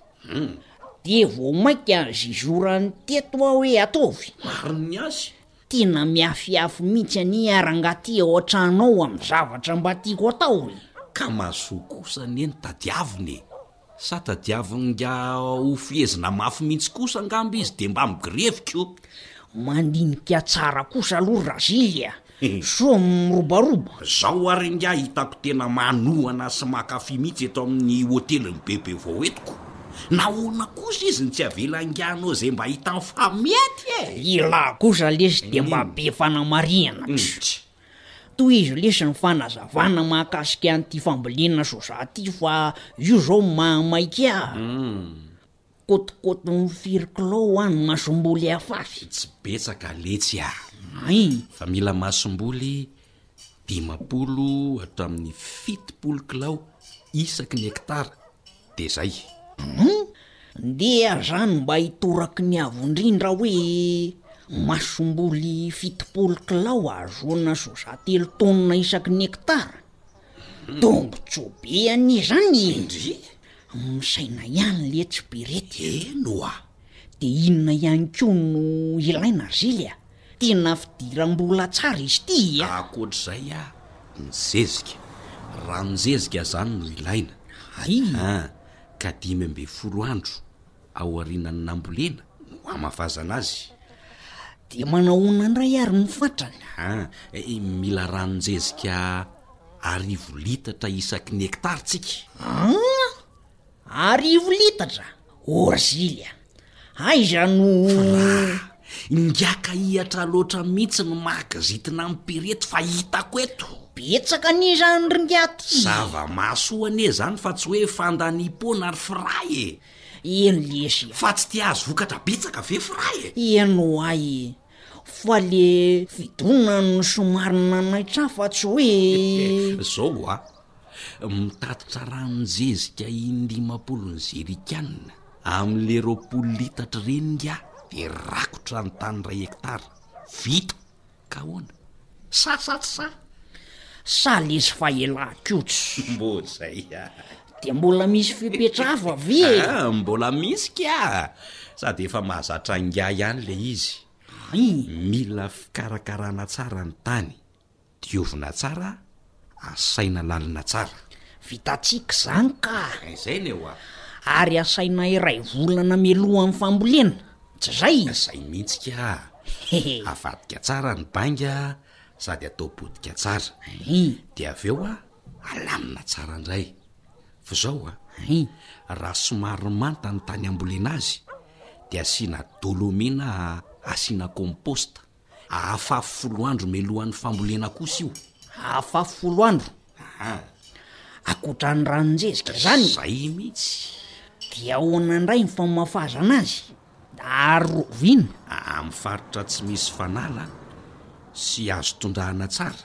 [SPEAKER 6] dia vao mainka zizorany teto aho hoe ataovy.
[SPEAKER 9] Marina ny azy.
[SPEAKER 6] Tena miafiafy mihitsy anie aho rangahy ty ao an-trano ao amin'ny zavatra mba tiako atao e!
[SPEAKER 9] Ka mazoa kosa anie no tadiavina e! Sa tadiavin'ingahy ho fehezina mafy mihitsy kosa angamba izy dia mba migrevy ko!
[SPEAKER 6] Mandinika tsara kosa aloha Razily a! Soa mirobaroba.
[SPEAKER 9] Zao ary ingahy hitako tena manohana sy mankafy mihitsy eto amin'ny hotelin'i Bebe vao eto ko! Nahoana kosa izy no tsy avela ingahy hanao izay mba hitany fa mety e!
[SPEAKER 6] Ialahy kosa lesy dia mba be fanamarihana. Tohizo lesy ny fanazavana mahakasika an'ity fambolena soja ity fa io zao mahamaika ahy. Kôtikôtin'ny firy kilao hoa ny masomboly afafy?
[SPEAKER 9] Tsy betsaka letsy ah.
[SPEAKER 6] Hay.
[SPEAKER 9] Fa mila masomboly 50 hatramin'ny 70 kilao isaky ny hektara de zay.
[SPEAKER 6] Hum! Ndeha zany mba hitoraky ny avo indrindra hoe masomboly 70 kilao ahazoana soja telo taonina isaky ny hektara. Tombotsoa be anie zany e!
[SPEAKER 9] Ndry!
[SPEAKER 6] Misaina ihany letsy Berety a!
[SPEAKER 9] Eny oa!
[SPEAKER 6] De inona ihany koa no ilaina ry Zily a? Tena fidiram-bola tsara izy ity a!
[SPEAKER 9] Ankoatr'izay a, ny zezika. Ranon-jezika zany no ilaina.
[SPEAKER 6] Hay!
[SPEAKER 9] An, ka 15 andro aorianan'ny nambolena no hamafazana azy.
[SPEAKER 6] Dia manahoana indray ary ny fatrany?
[SPEAKER 9] An, mila ranon-jezika arivo litatra isaky ny hektara tsika.
[SPEAKER 6] An! Arivo litatra? Orzily a! Aiza no.
[SPEAKER 9] Fra, ingahy hihatra loatra mihitsy ny maha kizitina an'i Pireto fa hitako eto.
[SPEAKER 6] Betsaka anie izany ry ingahy ty.
[SPEAKER 9] Zava-mahasoa anie izany fa tsy hoe fandaniam-poana ry Fra e!
[SPEAKER 6] Eny lesy a!
[SPEAKER 9] Fa tsy te hahazo vokatra betsaka ve Fra e?
[SPEAKER 6] Eny ho'a e! Fa le fidonana no somary nanaitra ahy fa tsy hoe.
[SPEAKER 9] Zao ho'a, mitatitra ranon-jezika in-dimampolo ny zerikanina amin'le 20 litatra ireny ingahy de rakotra ny tany iray hektara. Vita! Ka ahoana? Sa sa tsy sa?
[SPEAKER 6] Sa lesy fa elah kots.
[SPEAKER 9] Mbô zay ah.
[SPEAKER 6] Dia mbola misy fepetra hafa ve e?
[SPEAKER 9] Ah, mbola misy ka! Sady efa mahazatra ingahy ihany le izy.
[SPEAKER 6] Hay.
[SPEAKER 9] Mila fikarakarana tsara ny tany. Diovina tsara, asaina lalina tsara.
[SPEAKER 6] Vitantsika izany ka!
[SPEAKER 9] Izay ny eo a!
[SPEAKER 6] Ary asaina iray volana mialohan'ny fambolena, tsy izay?
[SPEAKER 9] Izay mihitsy ka! Avadika tsara ny bainga sady atao potika tsara. Dia avy eo alamina tsara indray. Fa izao a, raha somary manta ny tany ambolena azy dia asiana dolomie na asiana compost. Ahafafy folo andro mialohan'ny fambolena kosa io.
[SPEAKER 6] Ahafafy folo andro?
[SPEAKER 9] Aha.
[SPEAKER 6] Ankoatra ny ranon-jezika izany?
[SPEAKER 9] Zay mihitsy.
[SPEAKER 6] Dia ahoana indray ny famafazana azy? Ary roviana?
[SPEAKER 9] Amin'ny faritra tsy misy fanala sy azo tondrahana tsara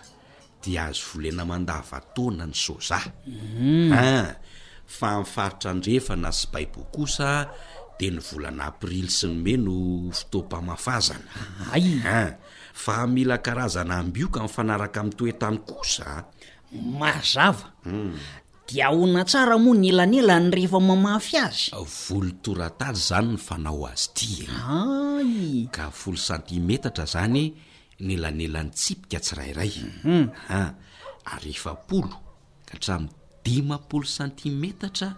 [SPEAKER 9] dia azo volena mandavantaona ny soja. An! Fa amin'ny faritra andrefana sy baibo kosa dia ny volana aprily sy ny mey no fotoam-pamafazana.
[SPEAKER 6] Hay!
[SPEAKER 9] An! Fa mila karazana ambioka mifanaraka amin'ny toetany kosa.
[SPEAKER 6] Mazava. Dia ahoana tsara moa ny elanelany rehefa mamafy azy?
[SPEAKER 9] Voly toratady izany ny fanao azy ity e!
[SPEAKER 6] Hay!
[SPEAKER 9] Ka folo santimetatra izany ny elanelan'ny tsipika tsirairay. An! Ary 40 ka hatramin'ny 50 santimetatra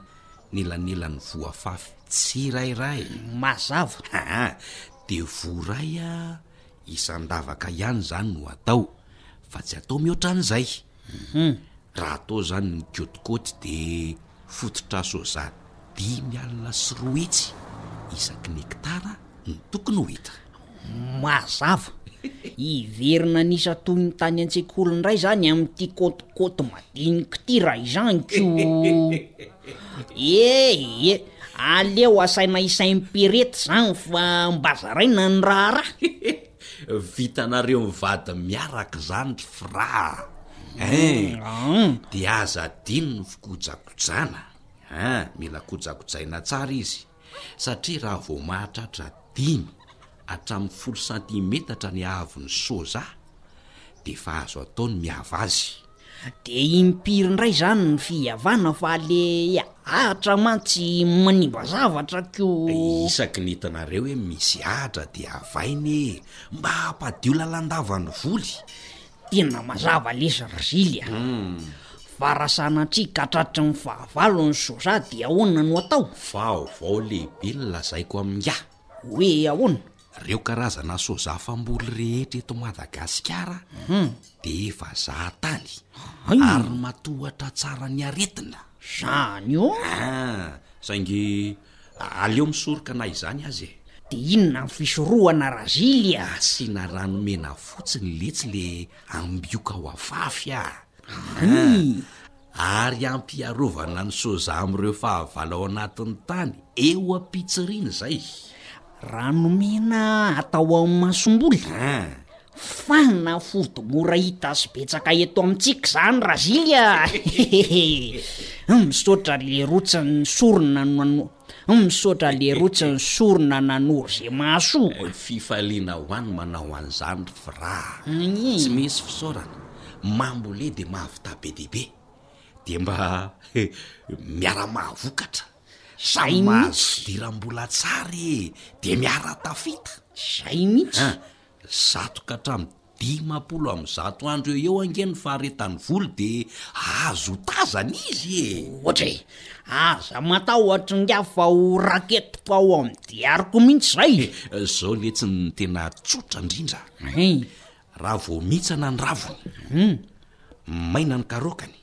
[SPEAKER 9] ny elanelan'ny voa afafy tsirairay.
[SPEAKER 6] Mazava.
[SPEAKER 9] Aa! Dia voa iray isan-davaka ihany izany no atao, fa tsy atao mihoatra an'izay. Raha atao izany ny kôtikôty de fototra soja 250 isaky ny hektara no tokony ho hita.
[SPEAKER 6] Mazava. Hiverina an'isa toy ny tany an-tsekoly indray izany amin'ity kôtikôty madinika ity raha izany ko. E e, aleo asaina isaim-pirety izany fa mba zaraina ny raharaha.
[SPEAKER 9] Vitanareo mivady miaraka izany ry Fra a! Hein! Dia aza adino ny fikojakojana an! Mila kojakojaina tsara izy satria raha vao mahatratra dimy hatramin'ny folo santimetatra ny haavon'ny soja dia efa azo atao ny mihava azy.
[SPEAKER 6] De impiry indray zany ny fihavana fa le ahatra mantsy manimba zavatra ko.
[SPEAKER 9] Isaky ny hitanareo hoe misy ahatra dia havaina e! Mba hampadio lalandava ny voly.
[SPEAKER 6] Tena mazava lesy ry Zily a! Fa raha sanatria ka tratry ny fahavalo ny soja dia ahoana no atao?
[SPEAKER 9] Vaovao lehibe no lazaiko amin'ingahy.
[SPEAKER 6] Hoe ahoana?
[SPEAKER 9] Reo karazana soja famboly rehetra eto Madagasikara dia efa zahatany ary matohatra tsara ny aretina.
[SPEAKER 6] Zany ô?
[SPEAKER 9] Ah, saingy aleo misoroka na izany aza e.
[SPEAKER 6] Dia inona ny fisorohana Razily a?
[SPEAKER 9] Asiana rano mena fotsiny letsy le ambioka ho afafy a! Ary ampy hiarovana ny soja amin'ireo fahavalo ao anatin'ny tany eo am-pitsiriana izay.
[SPEAKER 6] Rano mena atao amin'ny masomboly? Fanafody mora hita sy betsaka eto amintsika izany Razily a! Misaotra leroa tsy nisorona no Misaotra leroa tsy nisorona nanoro ze mahasoa.
[SPEAKER 9] Fifaliana ho any manao an'izany ry Fra a! Tsy misy fisaorana, mambole dia mahavita be dia be, dia mba miara-mahavokatra, samy mahazo fidiram-bola tsara e, dia miara-tafita.
[SPEAKER 6] Zay mihitsy.
[SPEAKER 9] An, 100 ka hatramin'ny 150 andro eo eo ange ny faharetan'ny voly de azo otazana izy e!
[SPEAKER 6] Ohatra e! Aza matahotra ingahy fa ho raketiko ao amin'ny diariko mihitsy izay!
[SPEAKER 9] Zao letsy ny tena tsotra indrindra,
[SPEAKER 6] Hein!
[SPEAKER 9] raha vao mihitsana ny raviny, maina ny karaokany,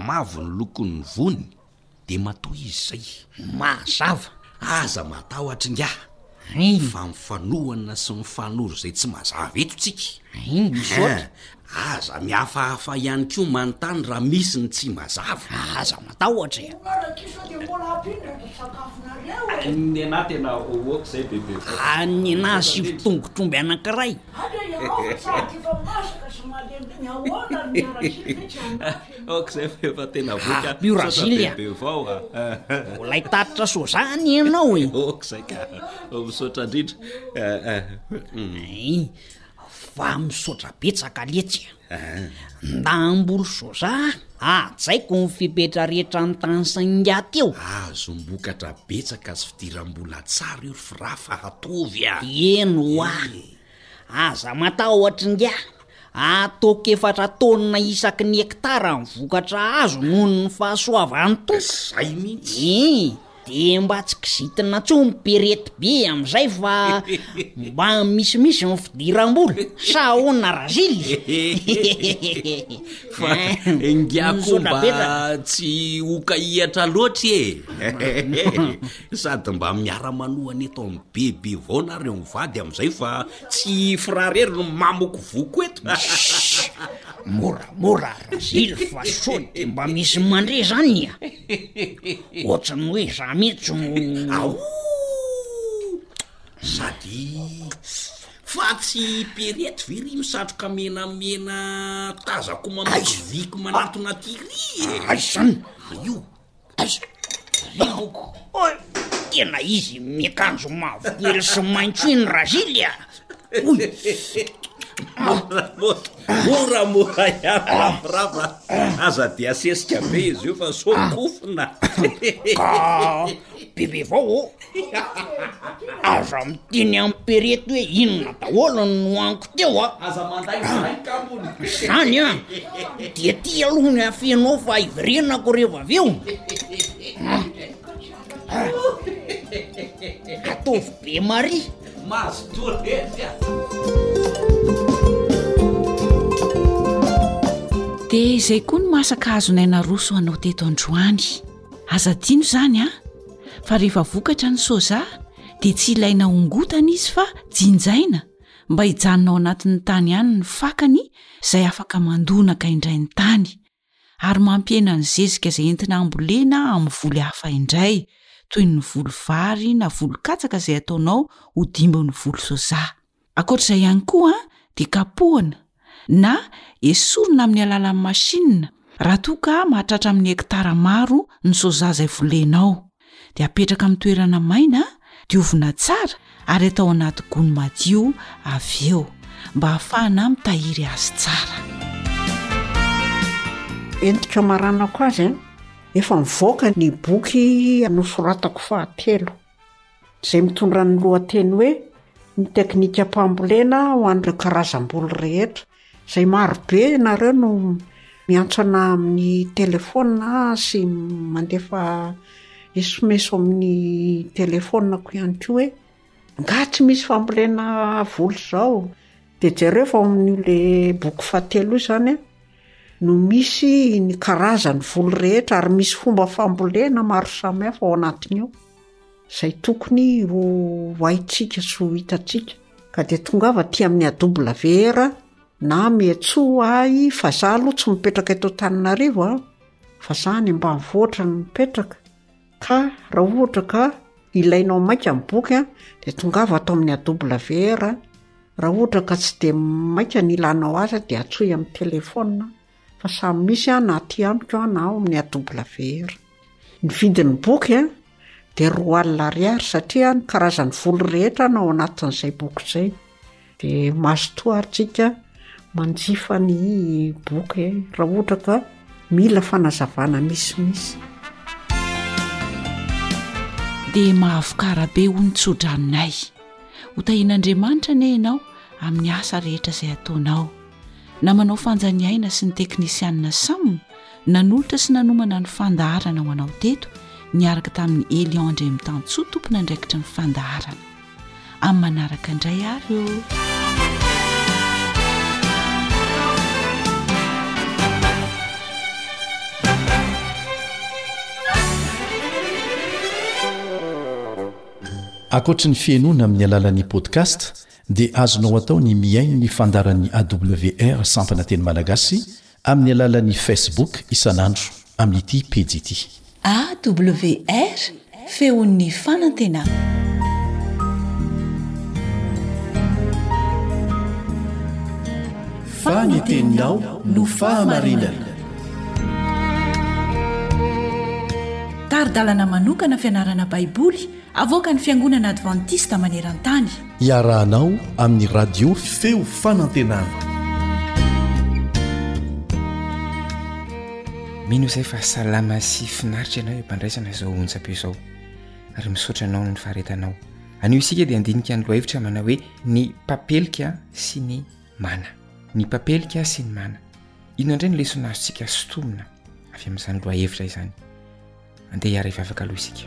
[SPEAKER 9] mavo ny lokon'ny voany, De matoa izy zay.
[SPEAKER 6] Mazava.
[SPEAKER 9] Aza matahotra ingahy fa mifanohana sy mifanoro izay tsy mazava eto tsika.
[SPEAKER 6] Misaotra.
[SPEAKER 9] Aza mihafahafa ihany koa manontany raha misy ny tsy mazava.
[SPEAKER 6] Aza matahotra e.
[SPEAKER 9] Ny anah tena ok zay bebe.
[SPEAKER 6] Ny anah asivo tongotr'omby anankiray.
[SPEAKER 9] Ok zay fa efa tena voky
[SPEAKER 6] ah. Io Razily a.
[SPEAKER 9] Bebe vao a.
[SPEAKER 6] Mbola hitatitra soja anie ianao e.
[SPEAKER 9] Ok zay ka. Misaotra indrindra.
[SPEAKER 6] Ein, fa misaotra betsaka letsy a. Nda hamboly soja hajaiko ny fepetra rehetra notanisain'ingahy teo.
[SPEAKER 9] Azom-bokatra betsaka sy fidiram-bola tsara io ry Fra fa ataovy a.
[SPEAKER 6] Eny hoa. Aza matahotra ingahy, ataoko efatra taonina isaky ny hektara ny vokatra azo noho ny fahasoavan'ny Tompo.
[SPEAKER 9] Zay mihitsy.
[SPEAKER 6] Ii, dia mba tsy kizitina intsony perety be amin'izay fa mba misimisy ny fidiram-bola, sa ahoana Razily?
[SPEAKER 9] Fa ingahy koa mba tsy ho kahihatra loatra e! Sady mba miara-manohana eto amin'ny bebe vao nareo mivady amin'izay fa tsy i Fra rery no mamokovoko eto.
[SPEAKER 6] Shh! Moramora Razily fa sao de mba misy mandre zany a! Ohatran'ny hoe za mihitsy no.
[SPEAKER 9] Aouu! Sady fa tsy Pierrette ve ry misatroka menamena tazako mamakiviky manatona aty ry e?
[SPEAKER 6] Aiza zany?
[SPEAKER 9] Io.
[SPEAKER 6] Aiza? Riboko. Oy! Tena izy miakanjo mavokely sy maitso iny Razily a! Oy!
[SPEAKER 9] Moramora ihany ravoravo a! Aza dia asesika be izy io fa sao kofona.
[SPEAKER 6] Ka bebe vao ô! Aza miteny amin'i Perety hoe inona daholo no nohaniko teo a!
[SPEAKER 9] Aza mandainga izay kambony.
[SPEAKER 6] Zany an! Dia ty aloha ny afenao fa hiverenako rehefa avy eo. Ataovy be Maria.
[SPEAKER 9] Mazotoa letsy a!
[SPEAKER 4] Dia izay koa ny masaka azonay naroso anao teto androany. Aza adino izany an! Fa rehefa vokatra ny soja dia tsy ilaina hongotana izy fa jinjaina mba hijanona ao anatin'ny tany ihany ny fakany izay afaka mandonaka indray ny tany ary mampihena ny zezika izay entina hambolena amin'ny voly hafa indray toy ny voly vary na voly katsaka izay ataonao ho dimbin'ny voly soja. Ankoatra izay ihany koa dia kapohana na esorina amin'ny alalan'ny machine raha toa ka mahatratra amin'ny hekitara maro ny soja izay volenao. Dia apetraka amin'ny toerana maina, diovina tsara ary atao anaty gony madio avy eo mba hahafahana mitahiry azy tsara.
[SPEAKER 8] Entiko hamaranako azy an, efa mivoaka ny boky nosoratako fahatelo. Izay mitondra ny lohateny hoe Ny teknikam-pambolena ho an'ireo karazam-boly rehetra. Izay maro be ianareo no miantso anà amin'ny telefaonina sy mandefa esomeso amin'ny telefaoninako ihany koa hoe angaha tsy misy fambolena voly izao? Dia jereo fa ao amin'io le boky fahatelo io izany an, no misy ny karazan'ny voly rehetra ary misy fomba fambolena maro samihafa ao anatiny ao. Izay tokony ho haintsika sy ho hitantsika. Ka dia tongava aty amin'ny AWR na miantsoa ahy fa za aloha tsy mipetraka eto Antananarivo a, fa za any ambanivohitra no mipetraka. Ka raha ohatra ka ilainao maika ny boky a, dia tongava ato amin'ny AWR. Raha ohatra ka tsy dia maika ny ilanao azy dia antsoy amin'ny telefaonina fa samy misy na aty amiko na ao amin'ny AWR. Ny vidin'ny boky a dia 20 ariary satria ny karazan'ny voly rehetra no ao anatin'izay boky izay. Dia mazotoa ary tsika manjifa ny boky raha ohatra ka mila fanazavana misimisy.
[SPEAKER 4] Dia mahavokara be hoy ny tsodranonay. Ho tahian'Andriamanitra anie ianao amin'ny asa rehetra izay ataonao. Namanao Fanja Ny Aina sy ny teknisianina Sam nanolotra sy nanomana ny fandaharana ho anao teto niaraka tamin'i Elion Andriamitansoa tompon'andraikitry ny fandaharana. Amin'ny manaraka indray ary ô!
[SPEAKER 3] Ankoatry ny fihainoana amin'ny alalan'ny podcast dia azonao atao ny mihaino ny fandaharan'ny AWR sampana teny malagasy amin'ny alalan'ny Facebook isan'andro amin'ity pejy ity.
[SPEAKER 4] AWR, Feon'ny fanantenana.
[SPEAKER 3] Fa ny teninao no fahamarinana.
[SPEAKER 4] Tari-dalana manokana fianarana Baiboly avoakan'ny Fiangonana Advantista maneran-tany.
[SPEAKER 3] Iarahanao amin'ny Radio Feo Fanantenana.
[SPEAKER 11] Mino izay fa salama sy finaritra ianao eo am-pandraisana izao onjam-peo izao ary misaotra anao noho ny faharetanao. Anio isika dia handinika ny lohahevitra manao hoe ny papelika sy ny mana. Ny papelika sy ny mana. Inona indray no lesona azontsika sintomina avy amin'izany lohahevitra izany? Andeha hiara-hivavaka aloha isika.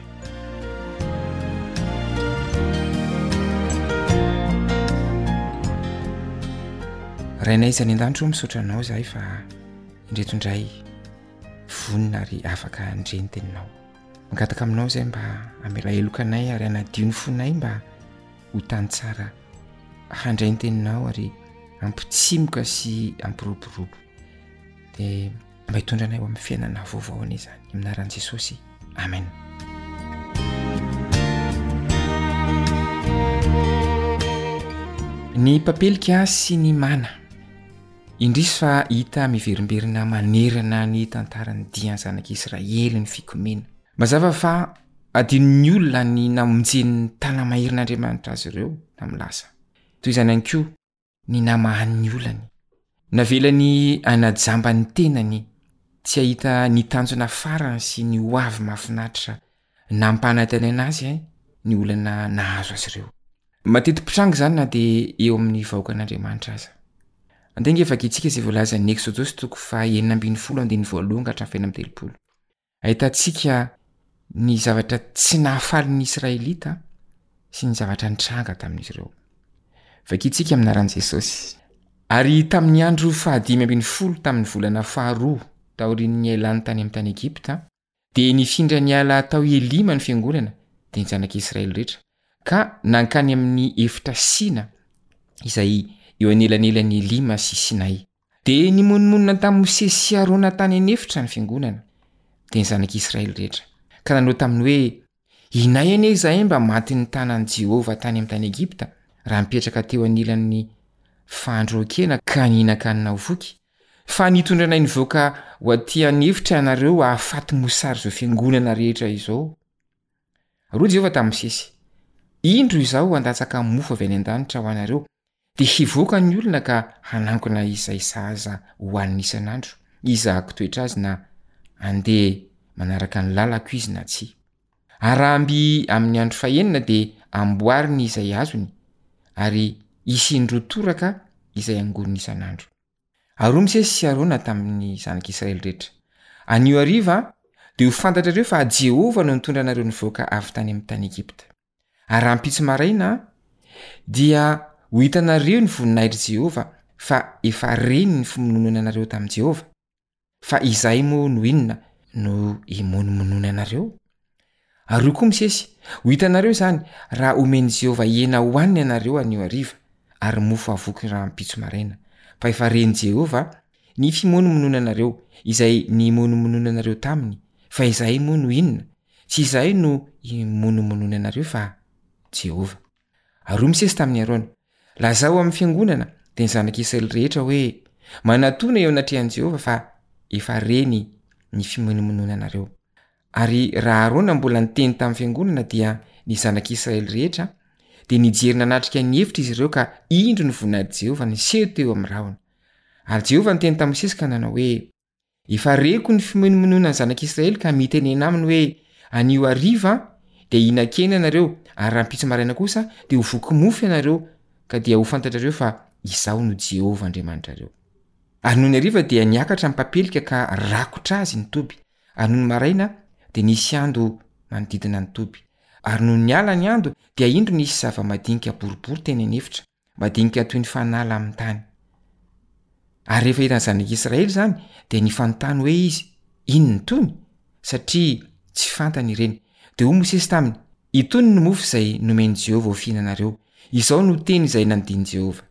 [SPEAKER 11] Rainay izay any an-danitra ô, misaotra anao izahay fa indreto indray vonona ary afaka handre ny teninao. Mangataka aminao izay mba hamela heloka anay ary hanadio ny fonay mba ho tany tsara handray ny teninao ary. hampitsimoka sy hampiroborobo. Dia mba hitondra anay ho amin'ny fiainana vaovao anie izany. Amin'ny anaran'i Jesosy. Amen. Ny papelika sy ny mana. Indrisy fa hita miverimberina manerana ny tantaran'ny dian'ny zanak'Israely ny fikomiana. Mazava fa adinon'ny olona ny namonjen'ny tana-maherin'Andriamanitra azy ireo tamin'ny lasa. Toy izany ihany koa ny namahany ny olany. Navelany hanajamba ny tenany tsy hahita ny tanjona farany sy ny hoavy mahafinaritra nampanantenaina azy ny olana nahazo azy ireo. Mateti-pitranga izany na dia eo amin'ny vahoakan'Andriamanitra aza. Andeha ange vakintsika izay voalazan'ny Eksodosy toko faha 16 andininy voalohany ka hatramin'ny faha 36. Ahitantsika ny zavatra tsy nahafaly ny Israelita sy ny zavatra nitranga tamin'izy ireo. Vakintsika amin'ny anaran'i Jesosy. Ary tamin'ny andro fahadimy ambin'ny folo tamin'ny volana faharoa taorian'ny niailany tany amin'ny tany Egypta, dia nifindra niala tao Elima ny fiangonana, dia ny zanak'Israely rehetra, ka nankany amin'ny efitra Sina, izay eo anelanelan'i Elima sy Sinay. Dia nimonomonona tamin'i Mosesy sy Arona tany an'efitra ny fiangonana, dia ny zanak'Israely rehetra, ka nanao taminy hoe, Inay anie izahay mba matin'ny tanan'i Jehovah tany amin'ny tany Egypta, raha nipetraka teo anilan'ny fandroan-kena ka nihinan-kanina ho voky, fa nitondra anay nivoaka ho aty an'efitra ianareo hahafaty mosary izao fiangonana rehetra izao. Ary hoy Jehovah tamin'i Mosesy, Indro Izaho handatsaka mofo avy any an-danitra ho anareo, Dia hivoaka ny olona ka hanangona izay sahaza hohaniny isan'andro, hizahako toetra azy na handeha manaraka ny lalako izy na tsia. Ary raha mby amin'ny andro fahenina dia amboariny izay azony, ary hisy indroa toraka izay angoniny isan'andro. Ary hoy Mosesy sy Arona tamin'ny zanak'Israely rehetra, Anio hariva dia ho fantatrareo fa Jehovah no nitondra anareo nivoaka avy tany amin'ny tany Egypta. Ary rahampitso maraina dia ho hitanareo ny voninahitr'i Jehovah, fa efa reny ny fimonomononanareo tamin'i Jehovah. Fa izahay moa no inona no himonomononanareo? Ary hoy koa Mosesy, Ho hitanareo izany, raha homen'i Jehovah hena hohanina ianareo anio hariva, ary mofo havoky rahampitso maraina, fa efa ren'i Jehovah ny fimonomononanareo, izay nimonomononanareo taminy, fa izahay moa no inona? Tsy izahay no himonomonona anareo fa Jehovah. Ary hoy Mosesy tamin'i Arona, Lazao amin'ny fiangonana, dia ny zanak'Israely rehetra hoe, 'Manatòna eo anatrehan'i Jehovah fa efa reny ny fimonomononanareo. Ary raha Arona mbola niteny tamin'ny fiangonana, dia ny zanak'Israely rehetra dia nijery nanatrika ny efitra izy ireo ka indro ny voninahitr'i Jehovah niseho teo amin'ny rahona. Ary Jehovah niteny tamin'i Mosesy ka nanao hoe, Efa reko ny fimonomononan'ny zanak'Israely ka mitenena aminy hoe, Anio hariva dia hihinan-kena ianareo, ary rahampitso maraina kosa dia ho voky mofo ianareo, ka dia ho fantatrareo fa Izaho no Jehovah Andriamanitrareo. Ary nony hariva dia niakatra ny papelika ka rakotra azy ny toby, ary nony maraina dia nisy ando manodidina ny toby. Ary nony niala ny ando dia indro nisy zava-madinika boribory teny an'efitra, madinika toy ny fanala amin'ny tany. Ary rehefa hitan'ny zanak'Israely izany, dia nifanontany hoe izy, Inona itony? Satria tsy fantany ireny. Dia hoy Mosesy taminy, Itony no mofo izay nomen'i Jehovah ho fihinanareo. Izao no teny izay nandidian'i Jehovah,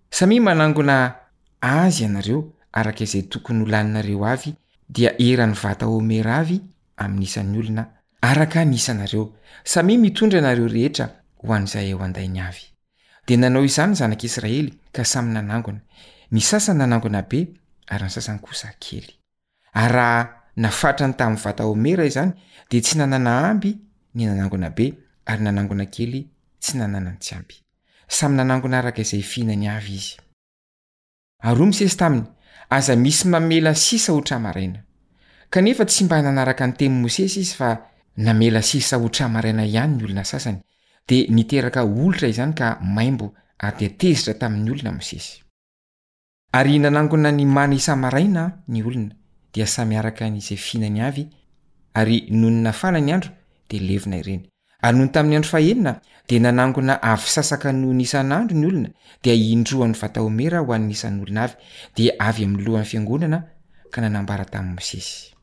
[SPEAKER 11] Samia manangona azy ianareo araka izay tokony ho laninareo avy, dia eran'ny vata homera avy amin'ny isan'ny olona, araka ny isanareo. Samia mitondra ianareo rehetra ho an'izay eo an-dainy avy. Dia nanao izany ny zanak'Israely ka samy nanangona, ny sasany nanangona be ary ny sasany kosa kely. Ary raha nafatrany tamin'ny vata homera izany, dia tsy nanana amby ny nanangona be, ary nanangona kely tsy nanana ny tsy ampy. Samy nanangona araka izay fihinany avy izy. Ary hoy Mosesy taminy, Aza misy mamela sisa ho tra-maraina. Kanefa tsy mba nanaraka ny tenin'i Mosesy izy fa namela sisa ho tra-maraina ihany ny olona sasany, dia niteraka olitra izany ka maimbo ary dia tezitra tamin'ny olona Mosesy. Ary nanangona ny mana isa-maraina ny olona, dia samy araka ny izay fihinany avy, ary nony nafana ny andro dia levona ireny. Ary nony tamin'ny andro fahenina, dia nanangona avy sasaka noho ny isan'andro ny olona, dia indroan'ny vata homera ho an'ny isan'olona avy, dia avy amin'ny lohan'ny fiangonana, ka nanambara tamin'i Mosesy.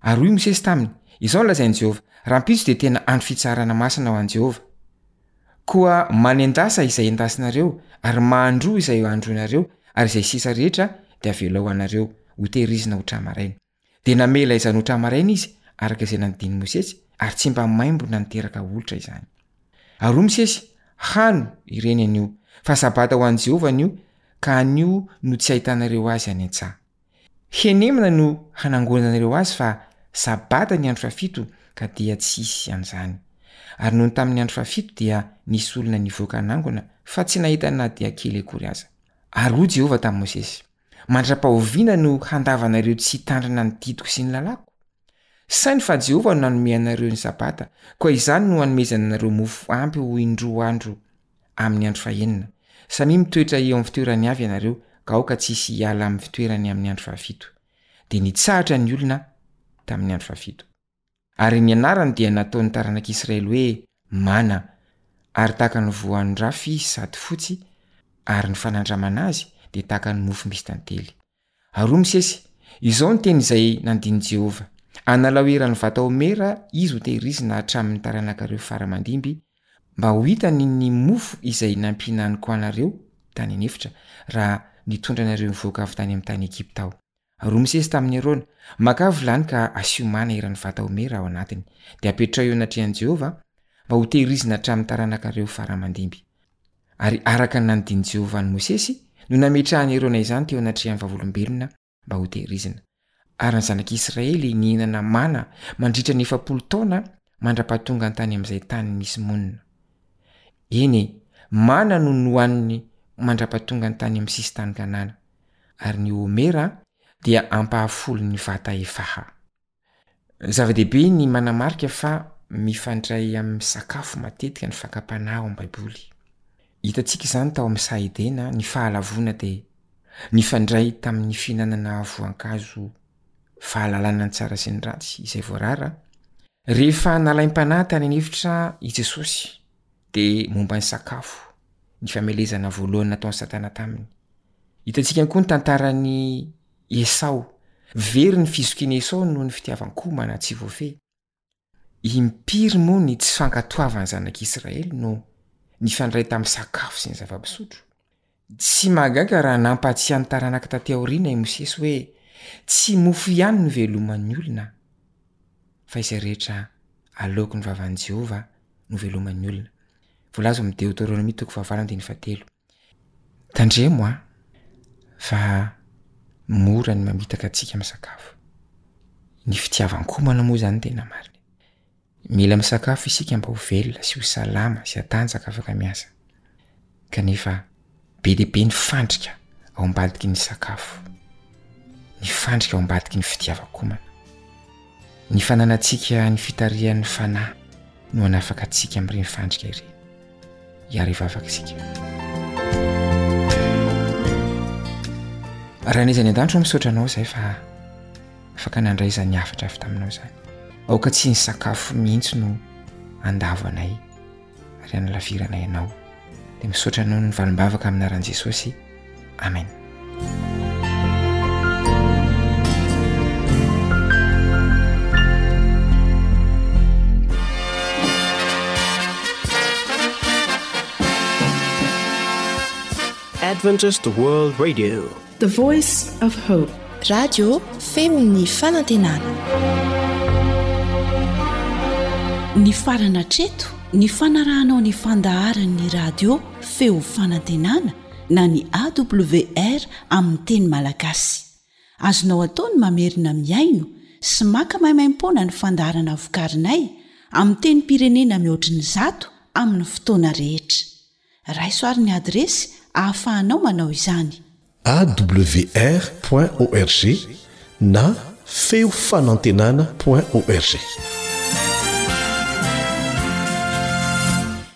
[SPEAKER 11] Ary hoy Mosesy taminy, Izao no lazain'i Jehovah, Rahampitso dia tena andro fitsaharana masina ho an'i Jehovah. Koa manendasa izay endasinareo, ary mahandroa izay handroinareo, ary izay sisa rehetra dia avelao ho anareo, hotehirizina ho tra-maraina. Dia namela izany ho tra-maraina izy, araka izay nandidian'i Mosesy, ary tsy mba maimbo na niteraka olitra izany. Ary hoy Mosesy, Hano ireny anio, fa Sabata ho an'i Jehovah anio, ka anio no tsy hahitanareo azy any an-tsaha. Henemana no hanangonanareo azy fa Sabata ny andro fahafito ka dia tsy hisy an'izany. Ary nony tamin'ny andro fahafito dia nisy olona nivoaka hanangona fa tsy nahita na dia kely akory aza. Ary hoy Jehovah tamin'i Mosesy, Mandra-pahoviana no handavanareo tsy hitandrina ny didiko sy ny lalàko? Saino fa Jehovah no nanome anareo ny Sabata, koa izany no hanomezany anareo mofo ampy ho indroa andro amin'ny andro fahenina. Samia mitoetra eo amin'ny fitoerany avy ianareo, ka aoka tsy hisy hiala amin'ny fitoerany amin'ny andro fahafito. Dia nitsahatra ny olona tamin'ny andro fahafito. Ary ny anarany dia nataon'ny taranak'Israely hoe Mana, ary tahaka ny voan-drafy izy sady fotsy, ary ny fanandramana azy dia tahaka ny mofo misy tantely. Ary hoy Mosesy, Izao ny teny izay nandin'i Jehovah, Analao eran'ny vata homera izy hotehirizina hatramin'ny taranakareo fara aman-dimby, mba ho hitany ny mofo izay nampihinaniko anareo tany an'efitra, raha nitondra anareo nivoaka avy tany amin'ny tany Egypta Aho. Ary hoy Mosesy tamin'i Arona, Makà vilany ka asio mana eran'ny vata homera ao anatiny, dia apetraho eo anatrehan'i Jehovah, mba hotehirizina hatramin'ny taranakareo fara aman-dimby. Ary araka ny nandidian'i Jehovah an'i Mosesy no nametrahan'i Arona izany teo anatrehan'ny vavolombelona mba hotehirizina. Ary ny zanak'Israely nihinana mana mandritra ny 40 taona mandra-pahatongany tany amin'izay tany misy monina. Eny e, mana no nohaniny mandra-pahatongany tany amin'ny sisin-tany Kanana. Ary ny homera dia ampahafolon'ny vata efaha. Zava-dehibe ny manamarika fa mifandray amin'ny sakafo matetika ny fakam-panahy ao amin'ny Baiboly. Hitantsika izany tao amin'ny saha Edena, ny fahalavoana dia nifandray tamin'ny fihinanana voankazo fahalalana ny tsara sy ny ratsy izay voarara. Rehefa nalaim-panahy tany an'efitra i Jesosy dia momba ny sakafo ny famelezana voalohany nataon'i Satana taminy. Hitantsika koa ny tantaran'i Esao. Very ny fizokian'i Esao noho ny fitiavan-komana tsy voafehy. Impiry moa ny tsy fankatoavan'ny zanak'Israely no nifandray tamin'ny sakafo sy ny zava-pisotro? Tsy mahagaga raha nampahatsiahy ny taranaka taty aoriana i Mosesy hoe tsy mofo ihany no iveloman'ny olona, fa izay rehetra aloaky ny vavan'i Jehovah no iveloman'ny olona. Voalaza ao amin'ny Deoteronomia toko fahavalo andininy fahatelo. Tandremo an, fa mora ny mamitaka antsika amin'ny sakafo. Ny fitiavan-komana moa izany tena marina e. Mila misakafo isika mba ho velona sy ho salama sy hatanjaka afaka miasa. Kanefa be dia be ny fandrika ao ambadiky ny sakafo, ny fandrika ao ambadiky ny fitiavan-komana. Ny fananantsika ny fitarihan'ny fanahy no hanafaka antsika amin'ireny fandrika ireny. Hiara hivavaka isika. Raha n'iza any an-danitra misaotra anao izay fa afaka nandray izany hafatra avy taminao izany. Aoka tsy ny sakafo mihitsy no andavo anay ary hanalaviranay anao. Dia misaotra anao ny valim-bavaka amin'ny anaran'i Jesosy. Amen.
[SPEAKER 1] Adventist World Radio.
[SPEAKER 2] The Voice of Hope.
[SPEAKER 4] Radio feon'ny fanantenana. Nifarana hatreto ny fanarahanao ny fandaharan'ny radio feo fanantenana na ny AWR amin'ny teny malagasy. Azonao atao ny mamerina mihaino sy maka maimaimpoana ny fandaharana vokarinay amin'ny tenim-pirenena mihoatry ny zato amin'ny fotoana rehetra. Raiso ary ny adiresy ahafahanao manao izany.
[SPEAKER 3] Awr point org na feo fanantenana point org.